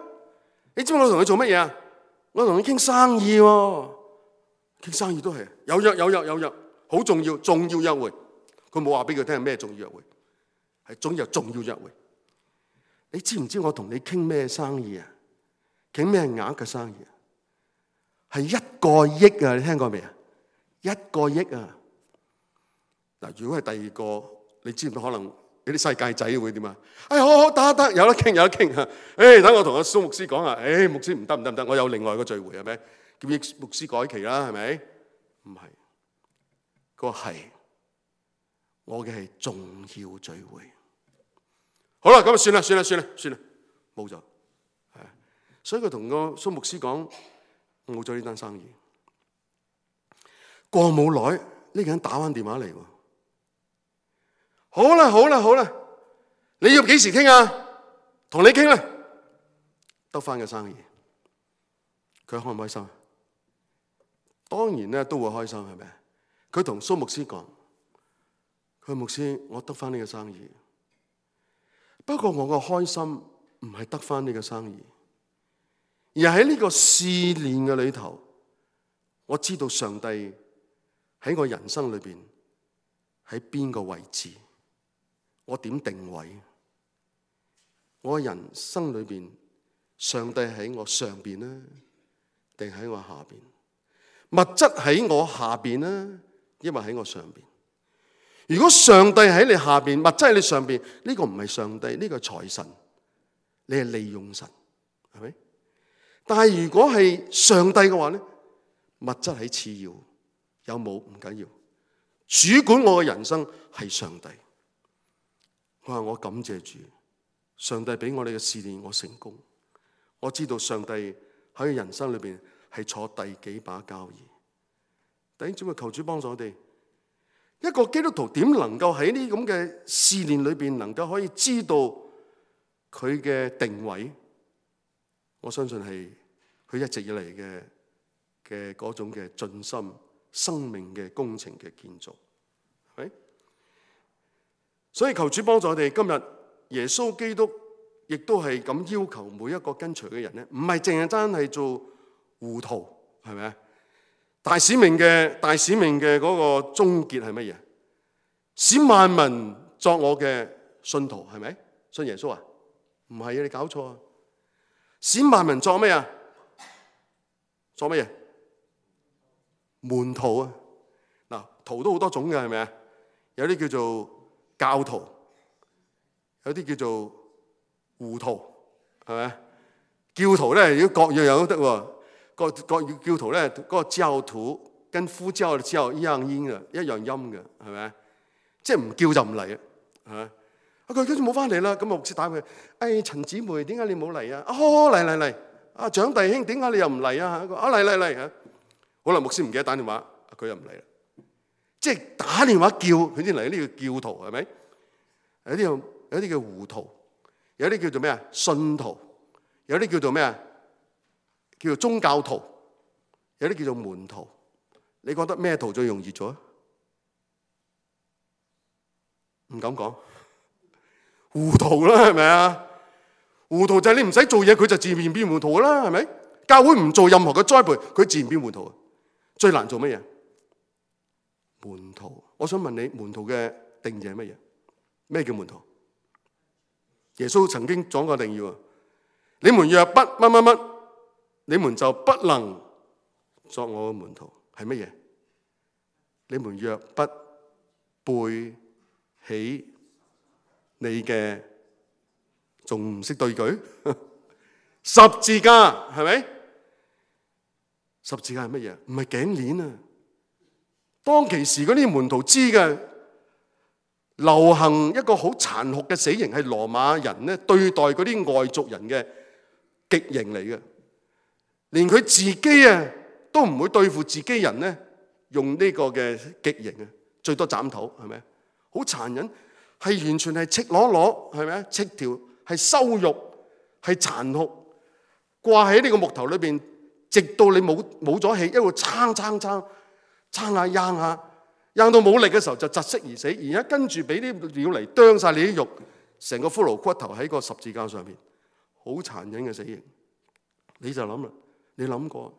你知唔知我同佢做乜嘢啊？我同佢傾生意喎，傾生意都係有約有約有約，好重要重要約會。佢冇話俾佢聽係咩重要約會，係總有重要約會。你知唔知我同你傾咩生意啊？傾咩額嘅生意啊？係一個億啊！你聽過未啊？一個億啊！嗱，如果係第二個，你知唔知可能有啲世界仔會點啊？哎，好好得得，有得傾有得傾啊！誒，等我同阿蘇牧師講啊！誒，牧師唔得唔得唔得，我有另外一個聚會係咪？叫牧師改期啦，係咪？唔係，個係我嘅係重要聚會。好啦，咁啊算啦算啦算啦算啦，冇咗。係，所以佢同個蘇牧師講。冇咗呢單生意，過冇耐呢個人打翻電話嚟喎。好啦好啦好啦，你要幾時傾啊？同你傾啦，得翻嘅生意，佢開唔開心？當然咧都會開心，係咪？佢同蘇牧師講：佢牧師，我得翻呢個生意，不過我個開心唔係得翻呢個生意。而喺呢個試煉嘅裏頭，我知道上帝喺我人生裏邊喺邊個位置，我點定位？我人生裏邊，上帝喺我上邊呢，定喺我下邊？物質喺我下邊呢，抑或喺我上邊？如果上帝喺你下邊，物質喺你上邊，呢個唔係上帝，呢個係財神，你係利用神，係咪？但係如果係上帝嘅話咧，物質喺次要，有冇唔緊要，主管我嘅人生係上帝。我話我感謝主，上帝俾我哋嘅試煉，我成功。我知道上帝喺人生裏邊係坐第幾把交椅。弟兄姊妹，求主幫助我哋。一個基督徒點能夠喺呢咁嘅試煉裏邊，能夠可以知道佢嘅定位？我相信係佢一直以嚟嘅嘅嗰種嘅盡心生命嘅工程嘅建造，係咪？所以求主幫助我哋。今日耶穌基督亦都係咁要求每一個跟隨嘅人咧，唔係淨係單係做糊塗，係咪啊？大使命嘅大使命嘅嗰個終結係乜嘢？使萬民作我嘅信徒，係咪？信耶穌啊？唔係啊，你搞錯啊！使萬民作咩啊？作乜嘢？門徒啊！嗱，徒都好多種嘅，係咪啊？有啲叫做教徒，有啲叫做糊塗，係咪？教徒咧，如果各樣樣都得喎。各各教徒咧，嗰個教徒跟呼召嘅教一樣音嘅，一樣音嘅，係咪？即係唔叫就唔嚟啊，係咪？啊，佢跟住冇翻嚟啦，咁牧師打佢，誒，陳姊妹，點解你冇嚟啊？哦，嚟嚟嚟，啊，蔣弟兄，點解你又唔嚟啊？啊，嚟嚟嚟嚇，好啦，牧師唔記得打電話，佢又唔嚟啦。即係打電話叫佢先嚟，呢個教徒係咪？有啲有有啲叫糊塗，有啲叫做咩啊？信徒，有啲叫做咩啊？叫做宗教徒，有啲叫做門徒。你覺得咩徒最容易做啊？唔敢講，糊塗啦，係咪啊？糊塗就係你唔使做嘢，佢就自然變糊塗啦，係咪？教會唔做任何嘅栽培，佢自然變糊塗。最難做乜嘢？門徒。我想問你，門徒嘅定義係乜嘢？咩叫門徒？耶穌曾經講過定義喎，你們若不乜乜乜，你們就不能作我嘅門徒。係乜嘢？你們若不背起你嘅，仲唔識對舉？十字架係咪？十字架係乜嘢？唔係頸鏈啊！當其時嗰啲門徒知嘅，流行一個好殘酷嘅死刑，係羅馬人咧對待嗰啲外族人嘅極刑嚟嘅。連佢自己啊都唔會對付自己人咧，用呢個嘅極刑啊，最多斬頭，係咪？好殘忍，係完全係赤裸裸，係咪啊？赤條係羞辱，係殘酷，掛喺呢個木頭裏邊，直到你冇冇咗氣，一路撐撐撐撐下掹下，掹到冇力嘅時候就窒息而死。而家跟住俾啲鳥嚟啄晒你啲肉，成個骷髏骨頭喺個十字架上面，好殘忍嘅死刑。你就諗啦，你諗過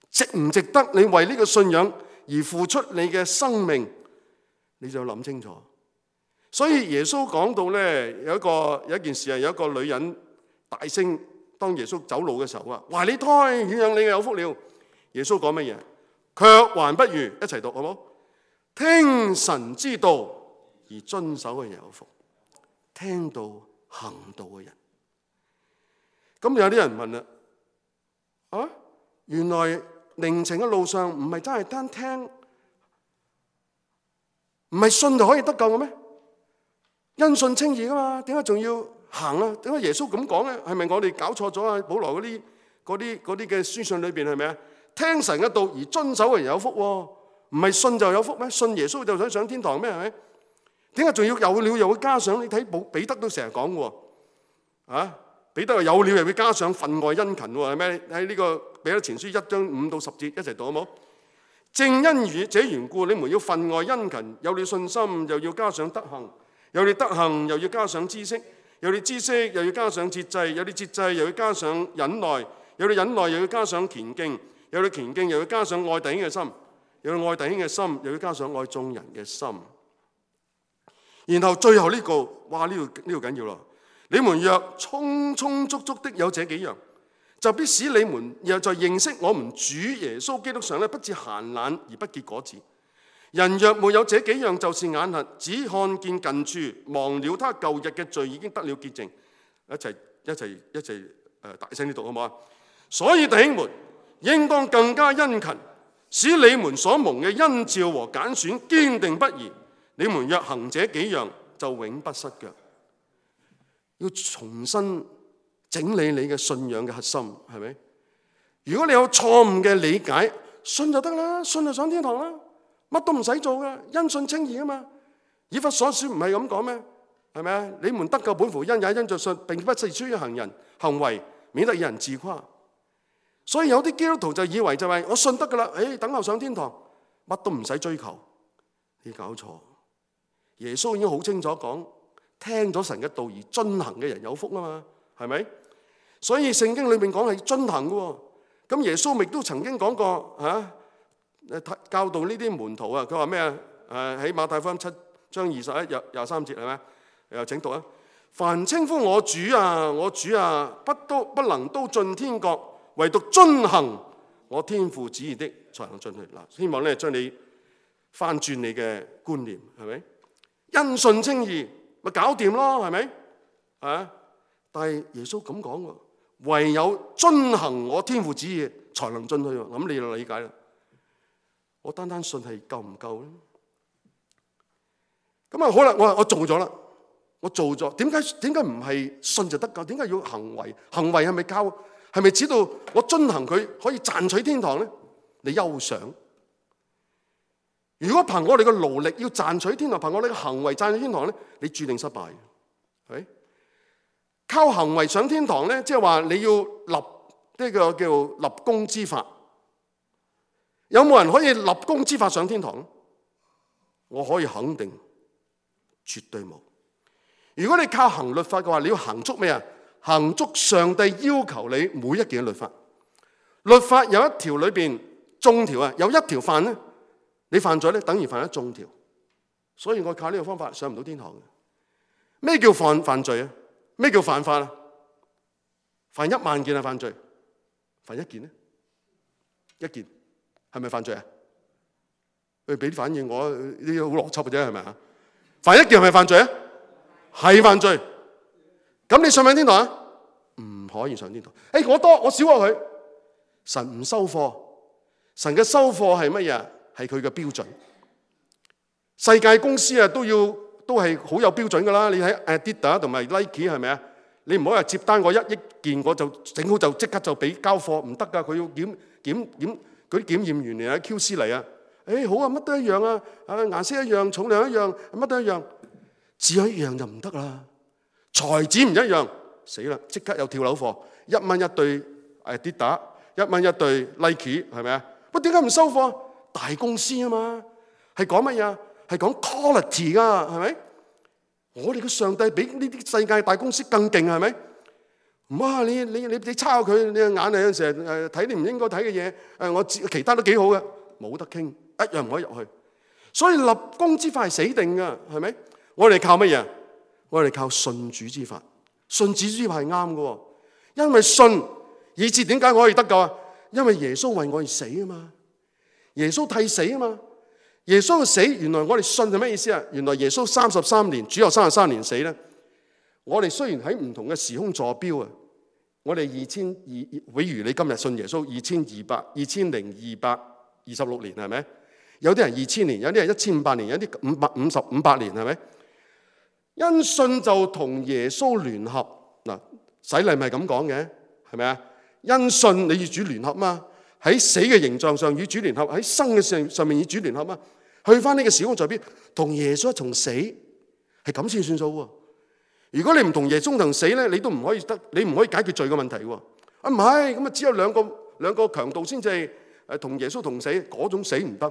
值唔值得你為呢個信仰而付出你嘅生命？你就諗清楚。所以耶穌講到咧，有一個有一件事係有一個女人大聲，當耶穌走路嘅時候啊，懷你胎乳養你嘅有福了。耶穌講乜嘢？卻還不如一齊讀好冇？聽神之道而遵守嘅人有福，聽道行道嘅人。咁有啲人問啦，啊，原來靈程嘅路上唔係真係單聽，唔係信就可以得救嘅咩？因信稱義噶嘛，點解仲要行啊？點解耶穌咁講咧？係咪我哋搞錯咗啊？保羅嗰啲嗰啲嗰啲嘅書信裏邊係咪啊？聽神嘅道而遵守嘅人有福喎，唔係信就有福咩？信耶穌就想上天堂咩？係咪？點解仲要有了又會加上？你睇保彼得都成日講嘅喎，啊，彼得話有了又會加上分外殷勤喎，係咩？喺呢個彼得前書一章五到十節一齊讀好冇？正因如這緣故，你們要分外殷勤，有了信心又要加上德行。有你德行，又要加上知識；有你知識，又要加上節制；有你節制，又要加上忍耐；有你忍耐，又要加上虔敬；有你虔敬，又要加上愛弟兄嘅心；有你愛弟兄嘅心，又要加上愛眾人嘅心。然後最後呢個，哇！呢個呢個緊要咯。你們若充充足足的有這幾樣，就必使你們又在認識我們主耶穌基督上咧，不致閒懶而不結果子。人若沒有這幾樣，就是眼瞎，只看見近處，忘了他舊日嘅罪已經得了潔淨。一齊一齊一齊誒大聲啲讀好唔好啊？所以弟兄們，應當更加殷勤，使你們所蒙嘅恩召和揀選堅定不移。你們若行這幾樣，就永不失腳。要重新整理你嘅信仰嘅核心，係咪？如果你有錯誤嘅理解，信就得啦，信就上天堂啦，乜都唔使做噶，因信稱義啊嘛。以弗所書唔係咁講咩？係咪啊？你們得救本乎恩，也因着信，並不是出於行人行為，免得有人自誇。所以有啲基督徒就以為就係我信得噶啦，誒，等候上天堂，乜都唔使追求。你搞錯，耶穌已經好清楚講，聽咗神嘅道而遵行嘅人有福啊嘛，係咪？所以聖經裏面講係遵行嘅。咁耶穌亦都曾經講過嚇，誒教導呢啲門徒啊，佢話咩啊？誒喺馬太福音七章二十一廿廿三節係咪？又請讀啊！凡稱呼我主啊，我主啊，不都不能都進天國，唯獨遵行我天父旨意的，才能進去。嗱，希望咧將你翻轉你嘅觀念，係咪？因信稱義，咪搞掂咯，係咪？啊！但係耶穌咁講喎，唯有遵行我天父旨意，才能進去。咁你就理解啦。我單單信係夠唔夠咧？咁啊好啦，我話我做咗啦。我做咗，點解點解唔係信就得㗎？點解要行為？行為係咪靠？係咪知道我遵行佢可以賺取天堂咧？你休想！如果憑我哋嘅勞力要賺取天堂，憑我哋嘅行為賺取天堂咧，你注定失敗。係咪？靠行為上天堂咧，即係話你要立呢個叫立功之法。有冇人可以立功之法上天堂？我可以肯定，絕對冇。如果你靠行律法嘅話，你要行足咩啊？行足上帝要求你每一件律法。律法有一條裏邊眾條啊，有一條犯咧，你犯咗咧，等於犯咗眾條。所以我靠呢個方法上唔到天堂嘅。咩叫犯犯罪啊？咩叫犯法啊？犯一萬件係犯罪，犯一件咧？一件係咪犯罪啊？佢俾啲反應我，呢啲好邏輯嘅啫，係咪啊？犯一件係咪犯罪啊？係犯罪，咁你上唔上天堂啊？唔可以上天堂。誒，我多我少過佢，神唔收貨。神嘅收貨係乜嘢？係佢嘅標準。世界公司啊都要都係好有標準噶啦。你睇 Adidas 同埋 Nike 係咪啊？你唔好話接單我一億件我就整好就即刻就俾交貨，唔得噶。佢要檢檢檢嗰啲檢驗員嚟啊 Q C 嚟啊。誒好啊，乜都一樣啊，啊顏色一樣，重量一樣，乜都一樣。只有一樣就唔得啦，材質唔一樣，死啦！即刻有跳樓貨，一蚊一對誒跌打，一蚊一對 Nike 係咪啊？喂，點解唔收貨？大公司啊嘛，係講乜嘢？係講 quality 噶，係咪？我哋嘅上帝比呢啲世界大公司更勁，係咪？唔啊！你你你你抄佢，你嘅眼係有陣時誒睇你唔應該睇嘅嘢，誒我其他都幾好嘅，冇得傾，一樣唔可以入去。所以立功之法係死定㗎，係咪？我哋靠乜嘢？我哋靠信主之法。信主之法係啱嘅，因為信以致點解我可以得救啊？因為耶穌為我而死啊嘛，耶穌替死啊嘛。耶穌嘅死，原來我哋信係咩意思啊？原來耶穌三十三年，主後三十三年死咧。我哋雖然喺唔同嘅時空坐標啊，我哋二千二，比如你今日信耶穌二千二百二千零二百二十六年係咪？有啲人二千年，有啲人一千五百年，有啲五百五十五百年係咪？因信就同耶穌聯合嗱，洗禮咪係咁講嘅，係咪啊？因信你與主聯合嘛，喺死嘅形狀上與主聯合，喺生嘅上上面與主聯合嘛。去翻呢個時空在邊，同耶穌一同死，係咁先算數喎。如果你唔同耶穌同死咧，你都唔可以得，你唔可以解決罪嘅問題喎。啊唔係，咁啊只有兩個兩個強盜先至係誒同耶穌同死，嗰種死唔得，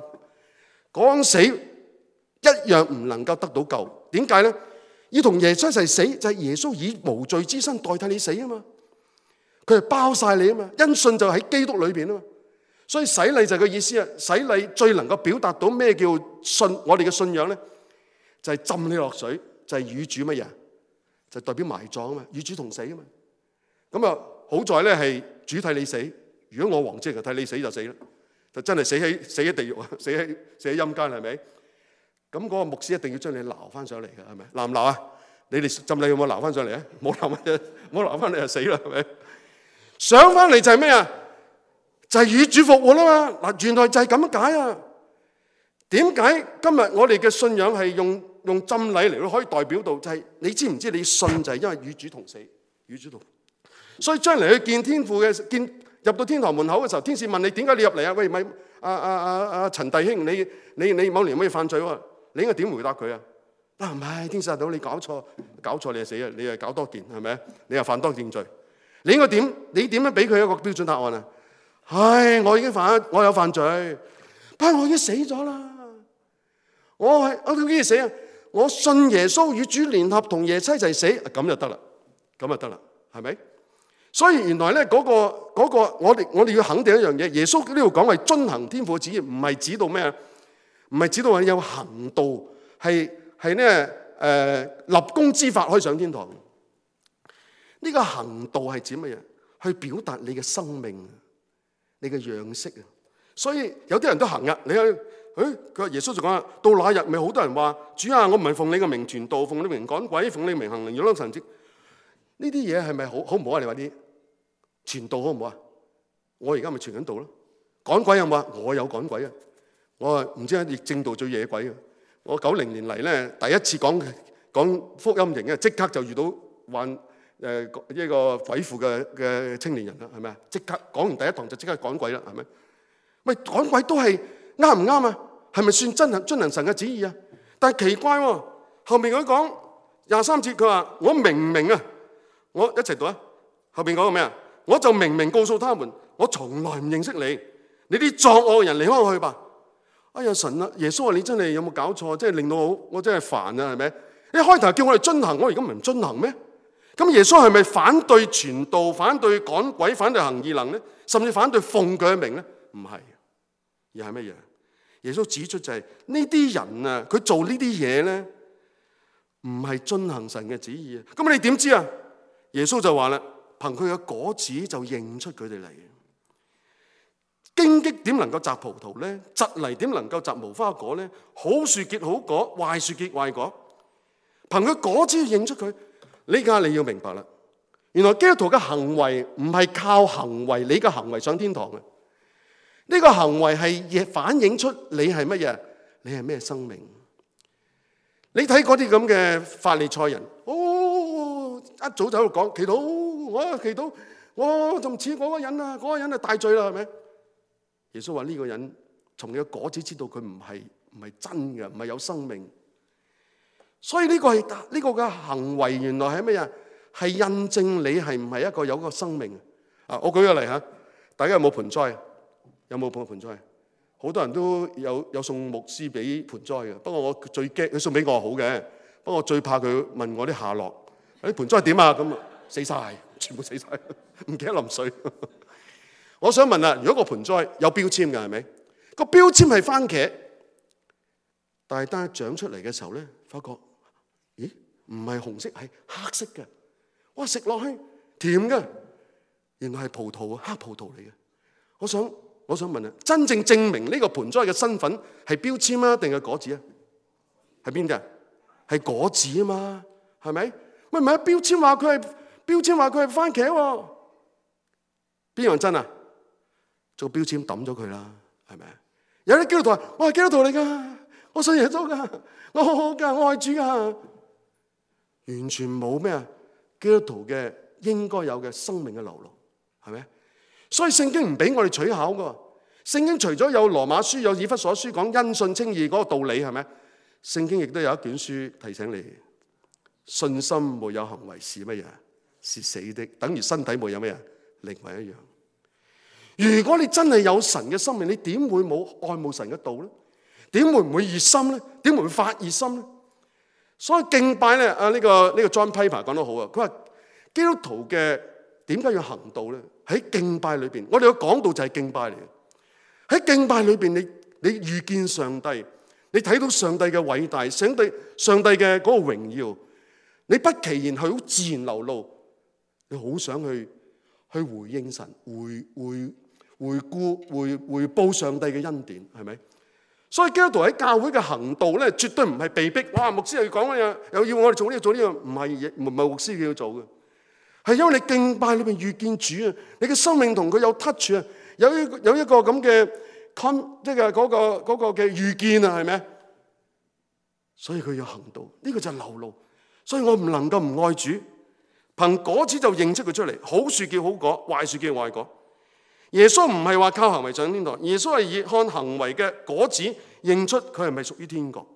嗰種死一樣唔能夠得到救。點解咧？要同耶穌一齊死，就係耶穌以無罪之身代替你死啊嘛。佢係包晒你啊嘛，因信就喺基督裏邊啊嘛。所以洗禮就係個意思啊！洗禮最能夠表達到咩叫信，我哋嘅信仰咧，就係浸你落水，就係與主乜嘢？就代表埋葬啊嘛，與主同死啊嘛。咁啊，好在咧係主替你死。如果我王即係替你死就死啦，就真係死喺死喺地獄啊，死喺死喺陰間係咪？咁嗰個牧師一定要將你撈翻上嚟嘅，係咪？撈唔撈啊？你哋浸禮有冇撈翻上嚟啊？冇撈乜嘢，冇撈翻你就死啦，係咪？上翻嚟就係咩啊？就係與主復活啦嘛！嗱，原來就係咁解啊！點解今日我哋嘅信仰係用用浸禮嚟到可以代表到？就係你知唔知你信就係因為與主同死，與主同。所以將來去見天父嘅見入到天堂門口嘅時候，天使問你點解你入嚟啊？喂，咪阿阿阿阿陳弟兄，你你你某年有咩犯罪喎？你應該點回答佢啊？啊，唔係，天使大佬，你搞錯，搞錯你就死啊！你又搞多件係咪？你又犯多件罪，你應該點？你點樣俾佢一個標準答案啊？唉，我已經犯，我有犯罪，不過我已經死咗啦。我係我點解死啊？我信耶穌與主聯合，同耶穌一齊死，咁就得啦，咁就得啦，係咪？所以原來咧嗰個嗰個，我哋我哋要肯定一樣嘢，耶穌呢度講係遵行天父嘅旨意，唔係指到咩啊？唔係指到話有行道，係係咧誒立功之法可以上天堂。呢個行道係指乜嘢？去表達你嘅生命，你嘅樣式啊。所以有啲人都行啊，你睇。誒，佢話耶穌就講啦，到那日咪好多人話：主啊，我唔係奉你嘅名傳道，奉你嘅名趕鬼，奉你嘅名行靈異神蹟。呢啲嘢係咪好好唔好啊？你話啲傳道好唔好啊？我而家咪傳緊道咯。趕鬼有冇啊？我有趕鬼啊！我啊唔知係疫症道最惹鬼啊！我九零年嚟咧，第一次講講福音營嘅，即刻就遇到患誒一個鬼附嘅嘅青年人啦，係咪啊？即刻講完第一堂就即刻趕鬼啦，係咪？喂，趕鬼都係。啱唔啱啊？係咪算真係遵行神嘅旨意啊？但係奇怪喎，後面佢講廿三節，佢話我明明啊，我一齊讀啊。後邊講個咩啊？我就明明告訴他們，我從來唔認識你，你啲作惡嘅人離開我去吧。哎呀神啊，耶穌啊，你真係有冇搞錯？真係令到我我真係煩啊，係咪？一開頭叫我哋遵行，我而家唔遵行咩？咁耶穌係咪反對傳道、反對趕鬼、反對行異能咧？甚至反對奉佢嘅名咧？唔係，而係乜嘢？耶穌指出就係呢啲人啊，佢做呢啲嘢咧，唔係遵行神嘅旨意啊。咁你點知啊？耶穌就話啦，憑佢嘅果子就認出佢哋嚟。荊棘點能夠摘葡萄咧？蒺藜點能夠摘無花果咧？好樹結好果，壞樹結壞果。憑佢果子要認出佢。呢家你要明白啦，原來基督徒嘅行為唔係靠行為，你嘅行為上天堂嘅。呢個行為係反映出你係乜嘢？你係咩生命？你睇嗰啲咁嘅法利賽人，哦，一早就喺度講祈禱，我祈禱，我仲似嗰個人啊，嗰個人係大罪啦，係咪？耶穌話呢個人從你嘅果子知道佢唔係唔係真嘅，唔係有生命。所以呢個係呢個嘅行為，原來係乜嘢？係印證你係唔係一個有個生命啊！我舉個例嚇，大家有冇盆栽？有冇捧盆栽？好多人都有有送牧師俾盆栽嘅，不過我最驚佢送俾我好嘅，不過我最怕佢問我啲下落。啲盆栽點啊？咁啊死晒，全部死晒，唔記得淋水。我想問啊，如果個盆栽有標籤嘅係咪？個標籤係番茄，但係當佢長出嚟嘅時候咧，發覺咦唔係紅色，係黑色嘅。哇，食落去甜嘅，原來係葡萄，黑葡萄嚟嘅。我想。我想問啊，真正證明呢個盆栽嘅身份係標籤啊，定係果子啊？係邊啲啊？係果子啊嘛，係咪？喂，唔係啊，標籤話佢係標籤話佢係番茄喎，邊樣真啊？做標籤抌咗佢啦，係咪？有啲基督徒話：我係基督徒嚟噶，我信耶穌噶，我好好噶，我愛主噶，完全冇咩啊？基督徒嘅應該有嘅生命嘅流露，係咪？所以聖經唔俾我哋取巧噶，聖經除咗有羅馬書、有以弗所書講因信稱義嗰個道理，係咪？聖經亦都有一卷書提醒你，信心沒有行為是乜嘢？是死的，等於身體沒有乜嘢？靈魂一樣。如果你真係有神嘅生命，你點會冇愛慕神嘅道咧？點會唔會熱心咧？點會唔會發熱心咧？所以敬拜咧，啊、這、呢個呢、這個 John Piper 講得好啊，佢話基督徒嘅點解要行道咧？喺敬拜裏邊，我哋嘅講道就係敬拜嚟嘅。喺敬拜裏邊，你你遇見上帝，你睇到上帝嘅偉大，上帝上帝嘅嗰個榮耀，你不其然係好自然流露，你好想去去回應神，回回回顧回回報上帝嘅恩典，係咪？所以基督徒喺教會嘅行道咧，絕對唔係被逼。哇，牧師又要講乜嘢，又要我哋做呢個做呢個，唔係唔係牧師要做嘅。係因為你敬拜裏邊遇見主啊，你嘅生命同佢有 touch 啊，有一有一個咁嘅 con 即係嗰個嗰個嘅遇見啊，係咪？所以佢要行道，呢個就係流露。所以我唔能夠唔愛主，憑果子就認出佢出嚟。好樹結好果，壞樹結壞果。耶穌唔係話靠行為上天堂，耶穌係以看行為嘅果子認出佢係咪屬於天國。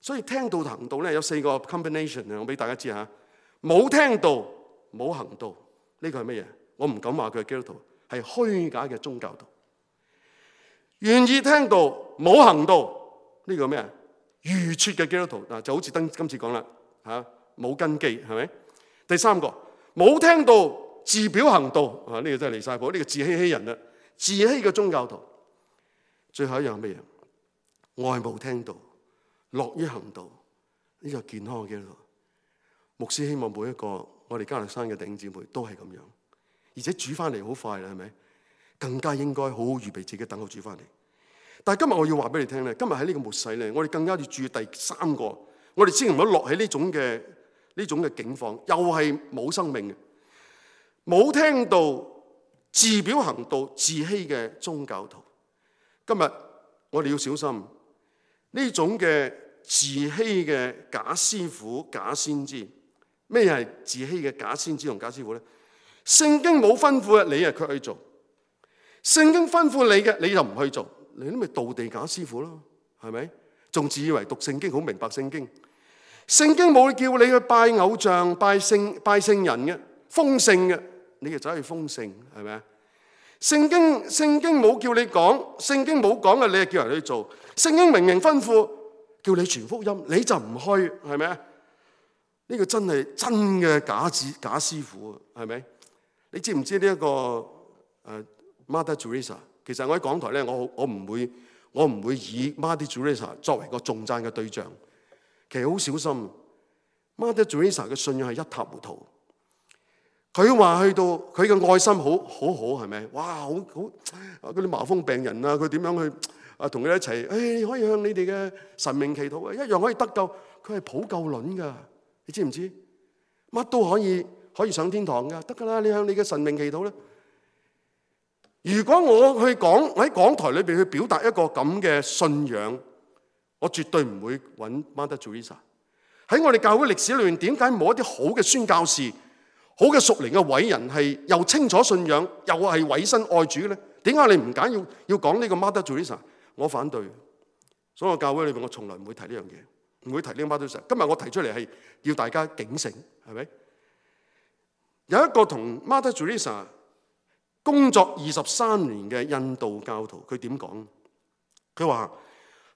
所以聽道行道咧有四個 combination 啊，我俾大家知下。冇聽道冇行道，呢個係乜嘢？我唔敢話佢係基督徒，係虛假嘅宗教徒。願意聽道冇行道，呢個咩啊？愚拙嘅基督徒嗱，就好似今今次講啦嚇，冇根基係咪？第三個冇聽道自表行道啊，呢個真係離晒譜，呢個自欺欺人啦，自欺嘅宗教徒。最後一樣係乜嘢？愛慕聽道，樂於行道，呢個健康嘅基督徒。牧師希望每一個我哋加勒山嘅弟兄姊妹都係咁樣，而且煮翻嚟好快啦，係咪？更加應該好好預備自己等候煮翻嚟。但係今日我要話俾你聽咧，今日喺呢個末世咧，我哋更加要注意第三個，我哋千祈唔好落喺呢種嘅呢種嘅境況，又係冇生命嘅，冇聽道自表行道自欺嘅宗教徒。今日我哋要小心呢種嘅自欺嘅假師傅、假先知。咩係自欺嘅假先知同假師傅咧？聖經冇吩咐嘅，你啊卻去做；聖經吩咐你嘅，你就唔去做，你都咪道地假師傅咯，係咪？仲自以為讀聖經好明白聖經？聖經冇叫你去拜偶像、拜聖、拜聖人嘅，封聖嘅，你就走去封聖，係咪啊？聖經聖經冇叫你講，聖經冇講嘅，你係叫人去做。聖經明明吩咐叫你傳福音，你就唔去，係咪啊？呢個真係真嘅假子假師傅啊，係咪？你知唔知呢一個誒 Mother Teresa？ 其實我喺港台咧，我我唔會我唔會以 Mother Teresa 作為個頌讚嘅對象。其實好小心 ，Mother Teresa 嘅信仰係一塌糊塗。佢話去到佢嘅愛心好好好，係咪？哇，好好嗰啲麻風病人啊，佢點樣去啊同佢哋一齊？誒、哎，你可以向你哋嘅神明祈禱啊，一樣可以得救。佢係普救論㗎。你知唔知？乜都可以可以上天堂噶，得噶啦！你向你嘅神明祈禱啦。如果我去講喺講台裏邊去表達一個咁嘅信仰，我絕對唔會揾 Mother Teresa。喺我哋教會歷史裏面，點解冇一啲好嘅宣教士、好嘅屬靈嘅偉人係又清楚信仰，又係委身愛主咧？點解你唔揀要要講呢個 Mother Teresa？我反對。所以我教會裏邊，我從來唔會提呢樣嘢。唔會提呢個 Mother Teresa。今日我提出嚟係要大家警醒，係咪？有一個同 Mother Teresa 工作二十三年嘅印度教徒，佢點講？佢話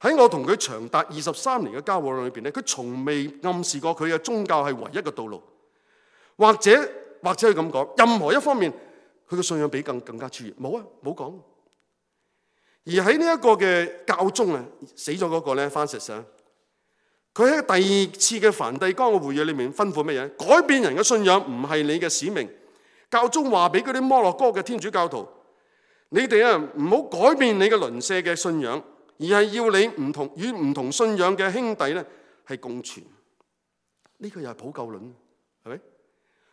喺我同佢長達二十三年嘅交往裏邊咧，佢從未暗示過佢嘅宗教係唯一嘅道路，或者或者佢咁講，任何一方面佢嘅信仰比更更加超越，冇啊，冇講。而喺呢一個嘅教宗啊，死咗嗰個咧，Francis啊。佢喺第二次嘅梵蒂岡嘅會議裏面吩咐乜嘢？改變人嘅信仰唔係你嘅使命。教宗話俾嗰啲摩洛哥嘅天主教徒：你哋啊唔好改變你嘅鄰舍嘅信仰，而係要你唔同與唔同信仰嘅兄弟咧係共存。呢、這個又係普救論，係咪？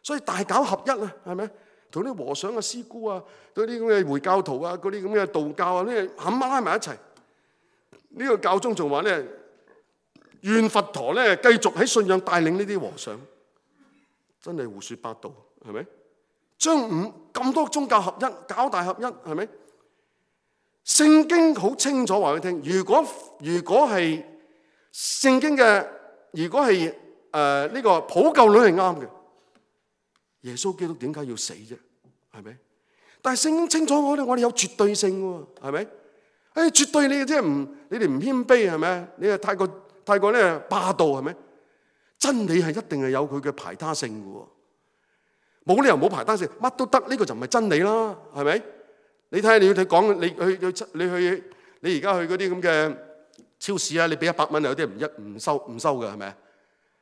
所以大搞合一啊，係咪？同啲和尚啊、師姑啊、嗰啲咁嘅回教徒啊、嗰啲咁嘅道教啊，呢冚唪唥拉埋一齊。呢、這個教宗仲話咧。願佛陀咧繼續喺信仰帶領呢啲和尚，真係胡說八道，係咪？將五咁多宗教合一，搞大合一，係咪？聖經好清楚話俾你聽，如果如果係聖經嘅，如果係誒呢個普救論係啱嘅，耶穌基督點解要死啫？係咪？但係聖經清楚我哋，我哋有絕對性喎，係咪？誒，絕對你即係唔，你哋唔謙卑係咪？你係太過。太過咧霸道係咪？真理係一定係有佢嘅排他性嘅喎，冇理由冇排他性，乜都得，呢個就唔係真理啦，係咪？你睇下你要睇講，你去去你去你而家去嗰啲咁嘅超市啊，你俾一百蚊有啲唔一唔收唔收嘅係咪？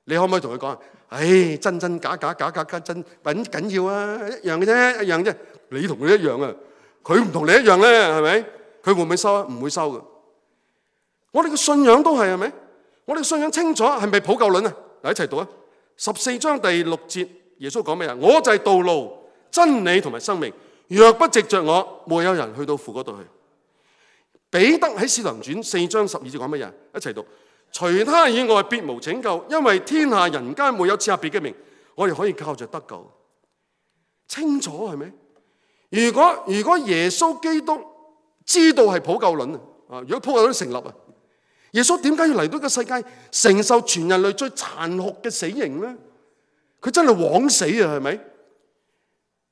你可唔可以同佢講啊？唉，真真假假假假假真緊緊要啊，一樣嘅啫，一樣啫。你同佢一樣啊，佢唔同你一樣咧，係咪？佢會唔會收啊？唔會收嘅。我哋嘅信仰都係係咪？我哋信仰清楚係咪普救論啊？嗱，一齊讀啊！十四章第六節，耶穌講咩啊？我就係道路、真理同埋生命，若不藉着我，沒有人去到父嗰度去。彼得喺使徒行傳四章十二節講乜嘢？一齊讀：除他以外，別無拯救，因為天下人間沒有賜下別嘅名，我哋可以靠着得救。清楚係咪？如果如果耶穌基督知道係普救論啊，如果普救論成立啊，耶穌點解要嚟到個世界承受全人類最殘酷嘅死刑咧？佢真係枉死啊，係咪？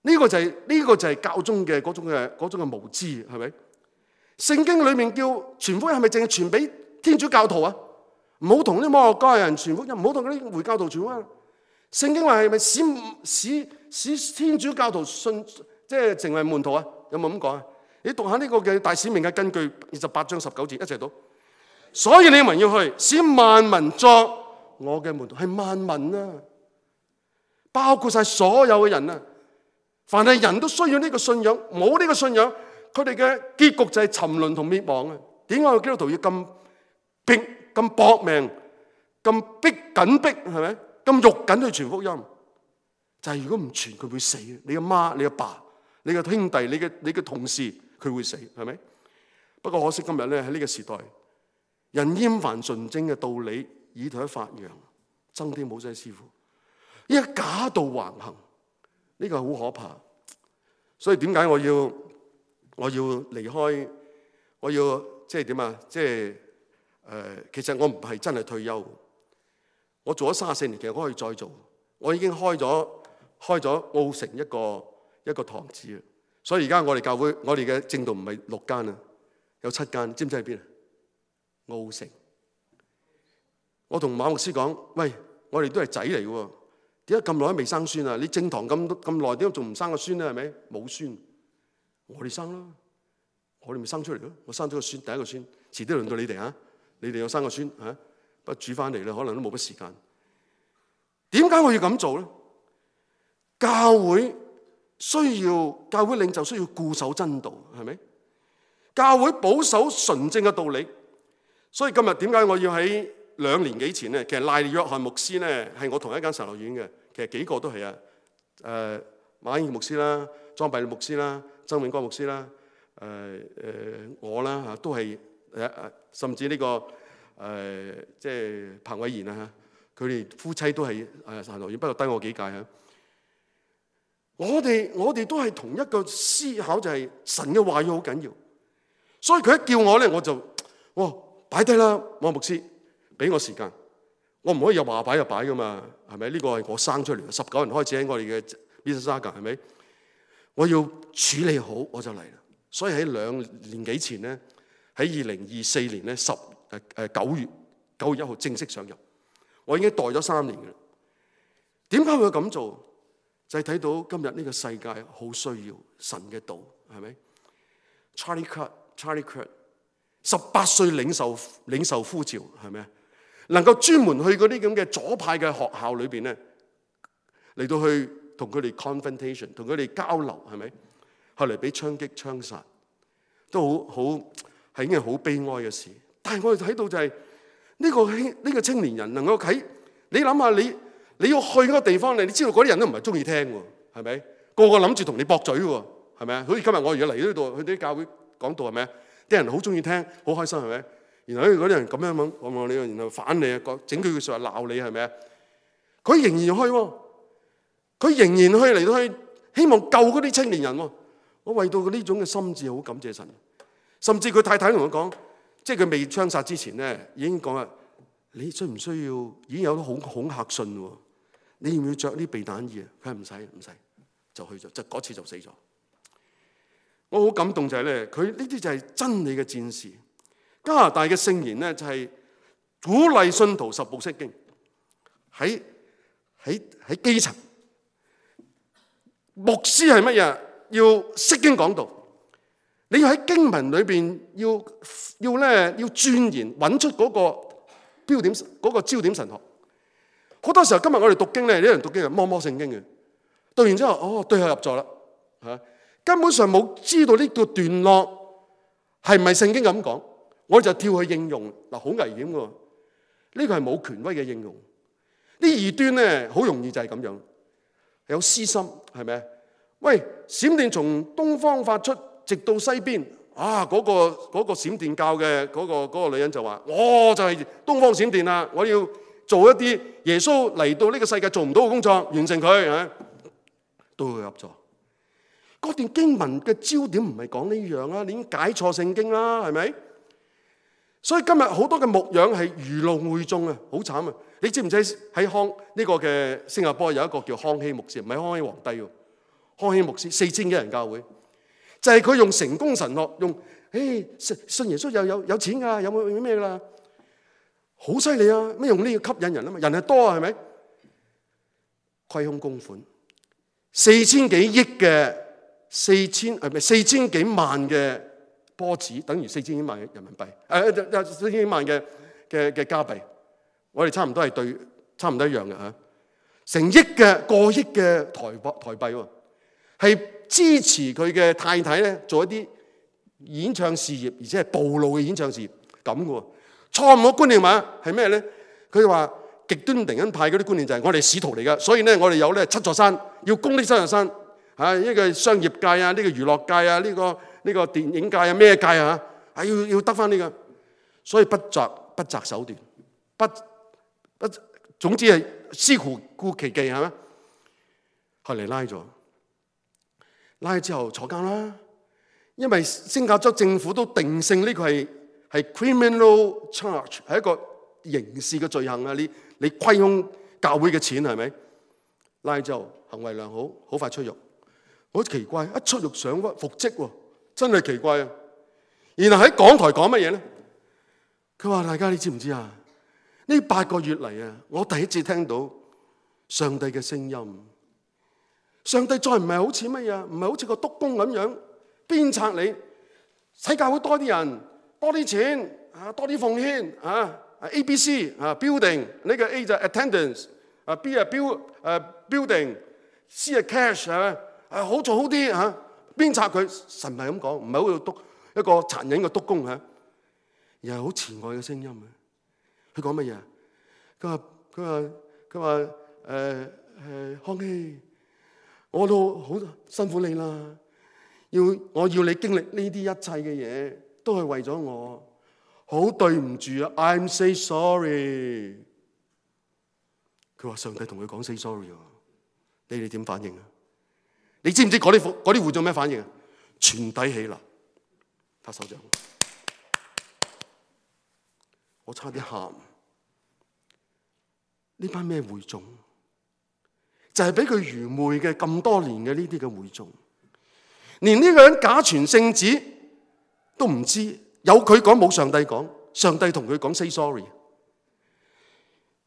呢個就係呢個就係教宗嘅嗰種嘅嗰種嘅無知，係咪？聖經裏面叫傳福音係咪淨係傳俾天主教徒啊？唔好同啲摩洛哥人傳福音，唔好同嗰啲回教徒傳福音。聖經話係咪使使使天主教徒信，即係成為門徒啊？有冇咁講啊？你讀下呢個嘅大使命嘅根據二十八章十九節，一齊讀。所以你們要去，使萬民作我嘅門徒，係萬民啊，包括晒所有嘅人啊。凡係人都需要呢個信仰，冇呢個信仰，佢哋嘅結局就係沉淪同滅亡啊！點解個基督徒要咁拼、咁搏命、咁逼緊逼，係咪？咁肉緊去傳福音？就係、是、如果唔傳，佢會死。你阿媽、你阿爸、你嘅兄弟、你嘅你嘅同事，佢會死，係咪？不過可惜今日咧喺呢個時代，人厭煩純正嘅道理，以圖一發揚，增添冇晒師傅，依家假道橫行。呢個好可怕，所以點解我要我要離開？我要即係點啊？即係誒、呃，其實我唔係真係退休，我做咗三十四年，其實我可以再做。我已經開咗開咗澳城一個一個堂子啊，所以而家我哋教會我哋嘅正道唔係六間啊，有七間，知唔知喺邊啊？澳城。我同馬牧師講：喂，我哋都係仔嚟嘅喎。點解咁耐都未生孫啊？你正堂咁咁耐，點解仲唔生個孫咧？係咪冇孫？我哋生啦，我哋咪生出嚟咯。我生咗個孫，第一個孫，遲啲輪到你哋嚇。你哋有生個孫嚇，不過煮翻嚟咧，可能都冇乜時間。點解我要咁做咧？教會需要教會領袖需要固守真道，係咪？教會保守純正嘅道理。所以今日點解我要喺兩年幾前咧，其實賴約翰牧師咧係我同一間神學院嘅，其實幾個都係啊，誒馬英牧師啦、莊弼牧師啦、曾永光牧師啦、誒誒我啦嚇，都係誒誒，甚至呢個誒即係彭偉賢啊嚇，佢哋夫妻都係誒神學院，不過低我幾屆嚇。我哋我哋都係同一個思考，就係神嘅話語好緊要，所以佢一叫我咧，我就哇擺低啦，馬牧師。俾我時間，我唔可以又話擺就擺噶嘛，係咪？呢個係我生出嚟，十九人開始喺我哋嘅 Mississauga， 係咪？我要處理好我就嚟啦。所以喺兩年幾前咧，喺二零二四年咧十誒誒九月九月一號正式上任，我已經待咗三年嘅啦。點解會咁做？就係、是、睇到今日呢個世界好需要神嘅道，係咪 ？Charlie Kirk，Charlie Kirk， 十八歲領受領受呼召，係咪？能夠專門去嗰啲咁嘅左派嘅學校裏邊咧，嚟到去同佢哋 confrontation， 同佢哋交流，係咪？後嚟俾槍擊槍殺，都好好係一件好悲哀嘅事。但係我哋睇到就係、是、呢、這個呢、這個青年人能夠喺你諗下，你你要去嗰個地方咧，你知道嗰啲人都唔係中意聽喎，係咪？個個諗住同你駁嘴喎，係咪啊？好似今日我而家嚟呢度去啲教會講道，係咪啊？啲人好中意聽，好開心，係咪？然後嗰啲人咁樣樣講你，然後反你啊，整句句説話鬧你，係咪啊？佢仍然去喎，佢仍然去嚟到去希望救嗰啲青年人喎。我為到佢呢種嘅心志，好感謝神。甚至佢太太同佢講，即係佢未槍殺之前咧，已經講啦：你需唔需要已經有啲恐恐嚇信喎？你要唔要着啲避彈衣啊？佢係唔使唔使，就去咗，就嗰次就死咗。我好感動就係咧，佢呢啲就係真理嘅戰士。加拿大嘅聖言咧，就係鼓勵信徒十步釋經，喺喺喺基層。牧師係乜嘢？要釋經講道，你要喺經文裏邊要要咧要鑽研，揾出嗰個標點，嗰個焦點神學。好多時候今日我哋讀經咧，啲人讀經係摸摸聖經嘅，讀完之後哦對號入座啦嚇，根本上冇知道呢個段落係唔係聖經咁講。我就跳去應用嗱，好危險喎！呢個係冇權威嘅應用。啲異端咧，好容易就係咁樣，有私心，係咪？喂，閃電從東方發出，直到西邊啊！嗰、嗰個嗰、嗰個閃電教嘅嗰、嗰個嗰個女人就話：我就係東方閃電啦！我要做一啲耶穌嚟到呢個世界做唔到嘅工作，完成佢嚇，都會入座。嗰段經文嘅焦點唔係講呢樣啊，你已經解錯聖經啦，係咪？所以今日好多嘅牧養係愚弄會眾啊，好慘啊！你知唔知喺康呢個嘅新加坡有一個叫康熙牧師，唔係康熙皇帝喎，康熙牧師四千幾人教會，就係佢用成功神學，用誒信耶穌又有有錢㗎，有冇咩啦？好犀利啊！咩用呢個吸引人啊嘛？人係多啊，係咪？虧空公款，四千幾億嘅四千係咪四千幾萬嘅波子，等於四千幾萬嘅人民幣，誒四千幾萬嘅嘅嘅加幣，我哋差唔多係對，差唔多一樣嘅嚇。成億嘅過億嘅台幣台幣喎，係支持佢嘅太太咧做一啲演唱事業，而且係暴露嘅演唱事業咁嘅喎。錯誤嘅觀念嘛係咩咧？佢話極端靈恩派嗰啲觀念就係我哋使徒嚟㗎，所以咧我哋有咧七座山，要攻呢七座山嚇，呢個商業界啊，呢個娛樂界啊，呢個呢個電影界啊，咩界啊嚇，係要要得翻呢個，所以不擇不擇手段，不不總之係司徒顧其技係咪？後嚟拉咗，拉咗之後坐監啦，因為新加坡政府都定性呢個係係 criminal charge， 係一個刑事嘅罪行啊！你你虧空教會嘅錢係咪？拉咗之後行為良好，好快出獄。好奇怪，一出獄上屈復職喎，真係奇怪啊！然後喺港台講乜嘢咧？佢話：大家你知唔知啊？呢八個月嚟啊，我第一次聽到上帝嘅聲音。上帝再唔係好似乜嘢？唔係好似個督工咁樣鞭策你，使教會多啲人，多啲錢啊，多啲奉獻啊。A B C 啊 ，building 呢個 A 就 attendance， 啊 B 啊 build 誒 building，C 係 cash 係啊，好做好啲嚇，鞭策佢。神唔係咁講，唔係好似督一個殘忍嘅督工嚇，而係好慈愛嘅聲音啊！佢講乜嘢？佢話佢話佢話誒誒康熙，我都好辛苦你啦，要我要你經歷呢啲一切嘅嘢，都係為咗我。好對唔住啊 ，I'm say sorry。佢話上帝同佢講 say sorry 喎，你哋點反應啊？你知唔知嗰啲嗰啲會眾咩反應啊？全體起立，拍手掌。我差啲喊。呢班咩會眾？就係俾佢愚昧嘅咁多年嘅呢啲嘅會眾，連呢個人假傳聖旨都唔知。有佢講冇上帝講，上帝同佢講 say sorry。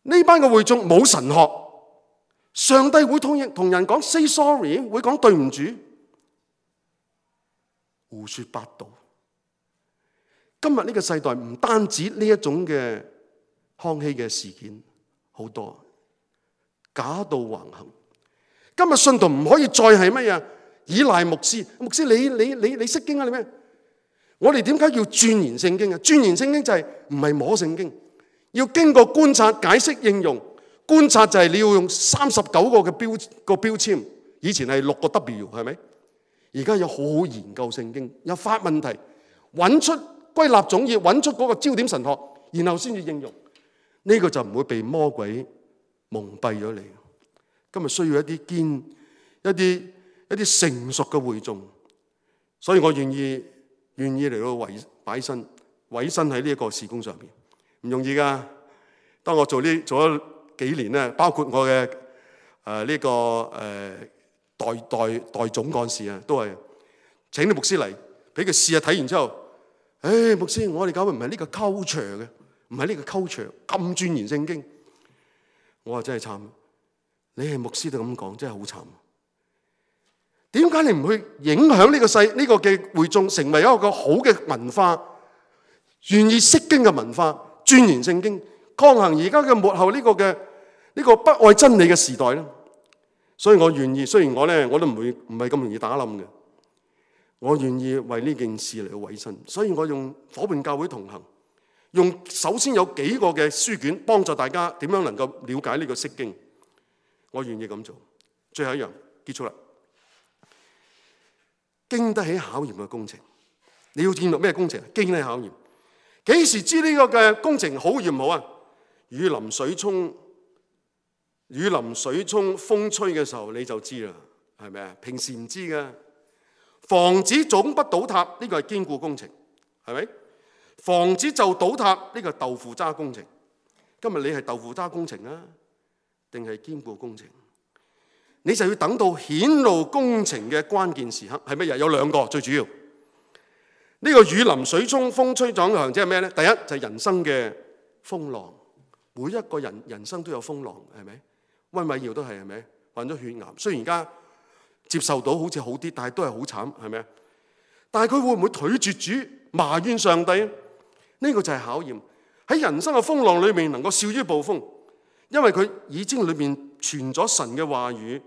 呢班嘅會眾冇神學，上帝會同人同人講 say sorry， 會講對唔住，胡說八道。今日呢個世代唔單止呢一種嘅康熙嘅事件，好多假道橫行。今日信徒唔可以再係乜嘢？依賴牧師，牧師你你你你識經啊？你咩？我哋點解要鑽研聖經啊？鑽研聖經就係唔係摸聖經，要經過觀察、解釋、應用。觀察就係你要用三十九個嘅標個標籤，以前係六個 W 係咪？而家要好好研究聖經，有發問題，揾出歸納總結，揾出嗰個焦點神學，然後先至應用。呢、這個就唔會被魔鬼蒙蔽咗你。今日需要一啲堅、一啲一啲成熟嘅會眾，所以我願意。願意嚟到委擺身委身喺呢一個事工上邊，唔容易噶。當我做呢做咗幾年咧，包括我嘅誒呢個誒、呃、代代代總幹事啊，都係請啲牧師嚟，俾佢試下睇完之後，誒、哎、牧師，我哋教會唔係呢個 culture 嘅，唔係呢個 culture 咁鑽研聖經。我話真係慘，你係牧師都咁講，真係好慘。點解你唔去影響呢個世呢個嘅會眾，成為一個好嘅文化，願意釋經嘅文化，鑽研聖經，抗衡而家嘅末後呢個嘅呢個不愛真理嘅時代咧？所以我願意，雖然我咧我都唔會唔係咁容易打冧嘅，我願意為呢件事嚟到委身。所以我用伙伴教會同行，用首先有幾個嘅書卷幫助大家點樣能夠了解呢個釋經，我願意咁做。最後一樣結束啦。經得起考驗嘅工程，你要見到咩工程？經得起考驗，幾時知呢個嘅工程好與唔好啊？雨淋水沖，雨淋水沖，風吹嘅時候你就知啦，係咪啊？平時唔知噶。房子總不倒塌，呢個係堅固工程，係咪？房子就倒塌，呢個係豆腐渣工程。今日你係豆腐渣工程啊，定係堅固工程？你就要等到顯露工程嘅關鍵時刻係乜嘢？有兩個最主要。呢個雨淋水沖風吹撞行，即係咩呢？第一就係人生嘅風浪，每一個人人生都有風浪，係咪？溫偉耀都係，係咪？患咗血癌，雖然而家接受到好似好啲，但係都係好慘，係咪？但係佢會唔會拒絕主，埋怨上帝？呢個就係考驗。喺人生嘅風浪裏面能夠笑於暴風，因為佢已經裏面傳咗神嘅話語，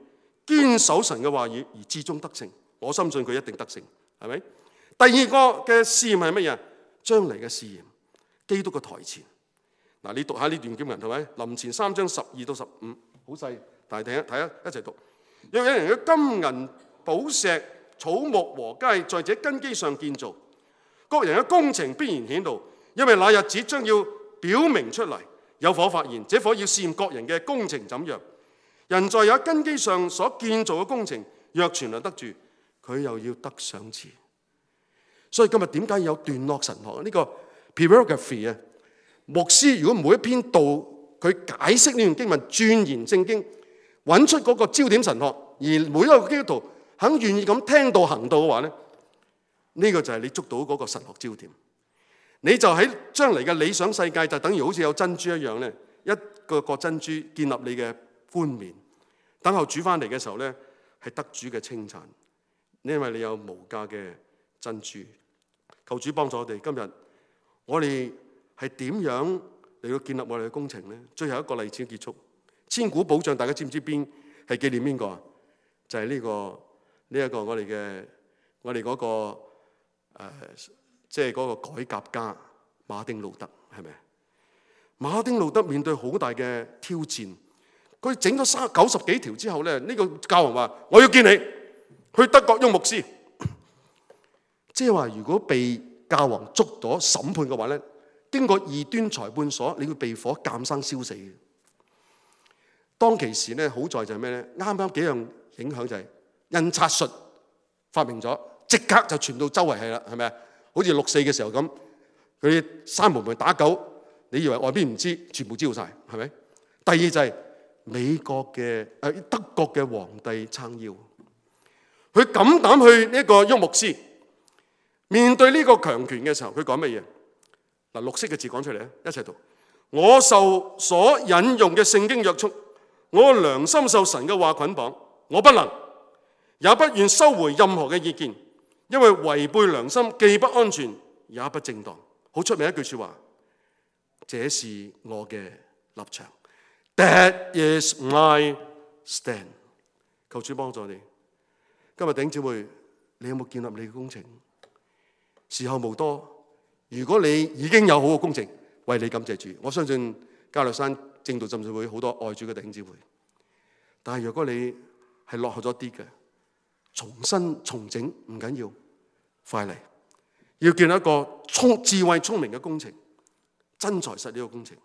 堅守神嘅話語而至終得勝。我深信佢一定得勝，係咪？第二個嘅試驗係乜嘢？將嚟嘅試驗，基督嘅台前。嗱，你讀下呢段經文係咪？林前三章十二到十五，好細，但係睇一睇一一齊讀。若有人嘅金銀寶石草木禾秸在這根基上建造，各人嘅工程必然顯露，因為那日子將要表明出嚟，有火發現，這火要試驗各人嘅工程怎樣。人在有根基上所建造嘅工程，若存留得住，佢又要得賞賜。所以今日點解有段落神學？呢個 Pyrography 啊，牧師如果每一篇道佢解釋呢段經文，鑽研聖經，揾出嗰個焦點神學，而每一個基督徒肯願意咁聽道行道嘅話咧，呢個就係你捉到嗰個神學焦點。你就喺將嚟嘅理想世界，就等於好似有珍珠一樣咧，一個個珍珠建立你嘅冠冕，等候主翻嚟嘅時候咧，係得主嘅稱讚，因為你有無價嘅珍珠。求主幫助我哋，今日我哋係點樣嚟到建立我哋嘅工程咧？最後一個例子結束，千古保障，大家知唔知邊係紀念邊個啊？就係呢個呢一個我哋嘅我哋嗰個誒，即係嗰個改革家馬丁路德，係咪？馬丁路德面對好大嘅挑戰，佢整咗三九十幾條之後咧，呢個教皇話：我要見你，去德國喐牧師。即係話，如果被教皇捉咗審判嘅話咧，經過異端裁判所，你會被火鑑生燒死嘅。當其時咧，好在就係咩咧？啱啱幾樣影響就係印刷術發明咗，即刻就傳到周圍係啦，係咪啊？好似六四嘅時候咁，佢閂門咪打狗，你以為外邊唔知，全部知道晒，係咪？第二就係美國嘅誒德國嘅皇帝撐腰，佢敢膽去呢一個喐牧師。面對呢個強權嘅時候，佢講乜嘢？嗱，綠色嘅字講出嚟咧，一齊讀。我受所引用嘅聖經約束，我良心受神嘅話捆綁，我不能，也不願收回任何嘅意見，因為違背良心既不安全，也不正當。好出名一句說話，這是我嘅立場。That is my stand。求主幫助你。今日弟兄姊妹，你有冇建立你嘅工程？時候無多，如果你已經有好嘅工程，為你感謝主。我相信加略山正道浸信會好多愛主嘅弟兄姊妹。但係如果你係落後咗啲嘅，重新重整唔緊要，快嚟，要建立一個聰智慧聰明嘅工程，真材實料嘅工程，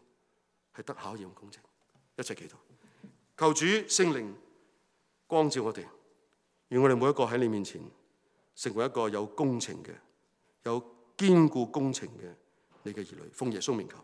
係得考驗嘅工程。一齊祈禱，求主聖靈光照我哋，願我哋每一個喺你面前成為一個有工程嘅、有堅固工程嘅你嘅兒女，奉耶穌名求。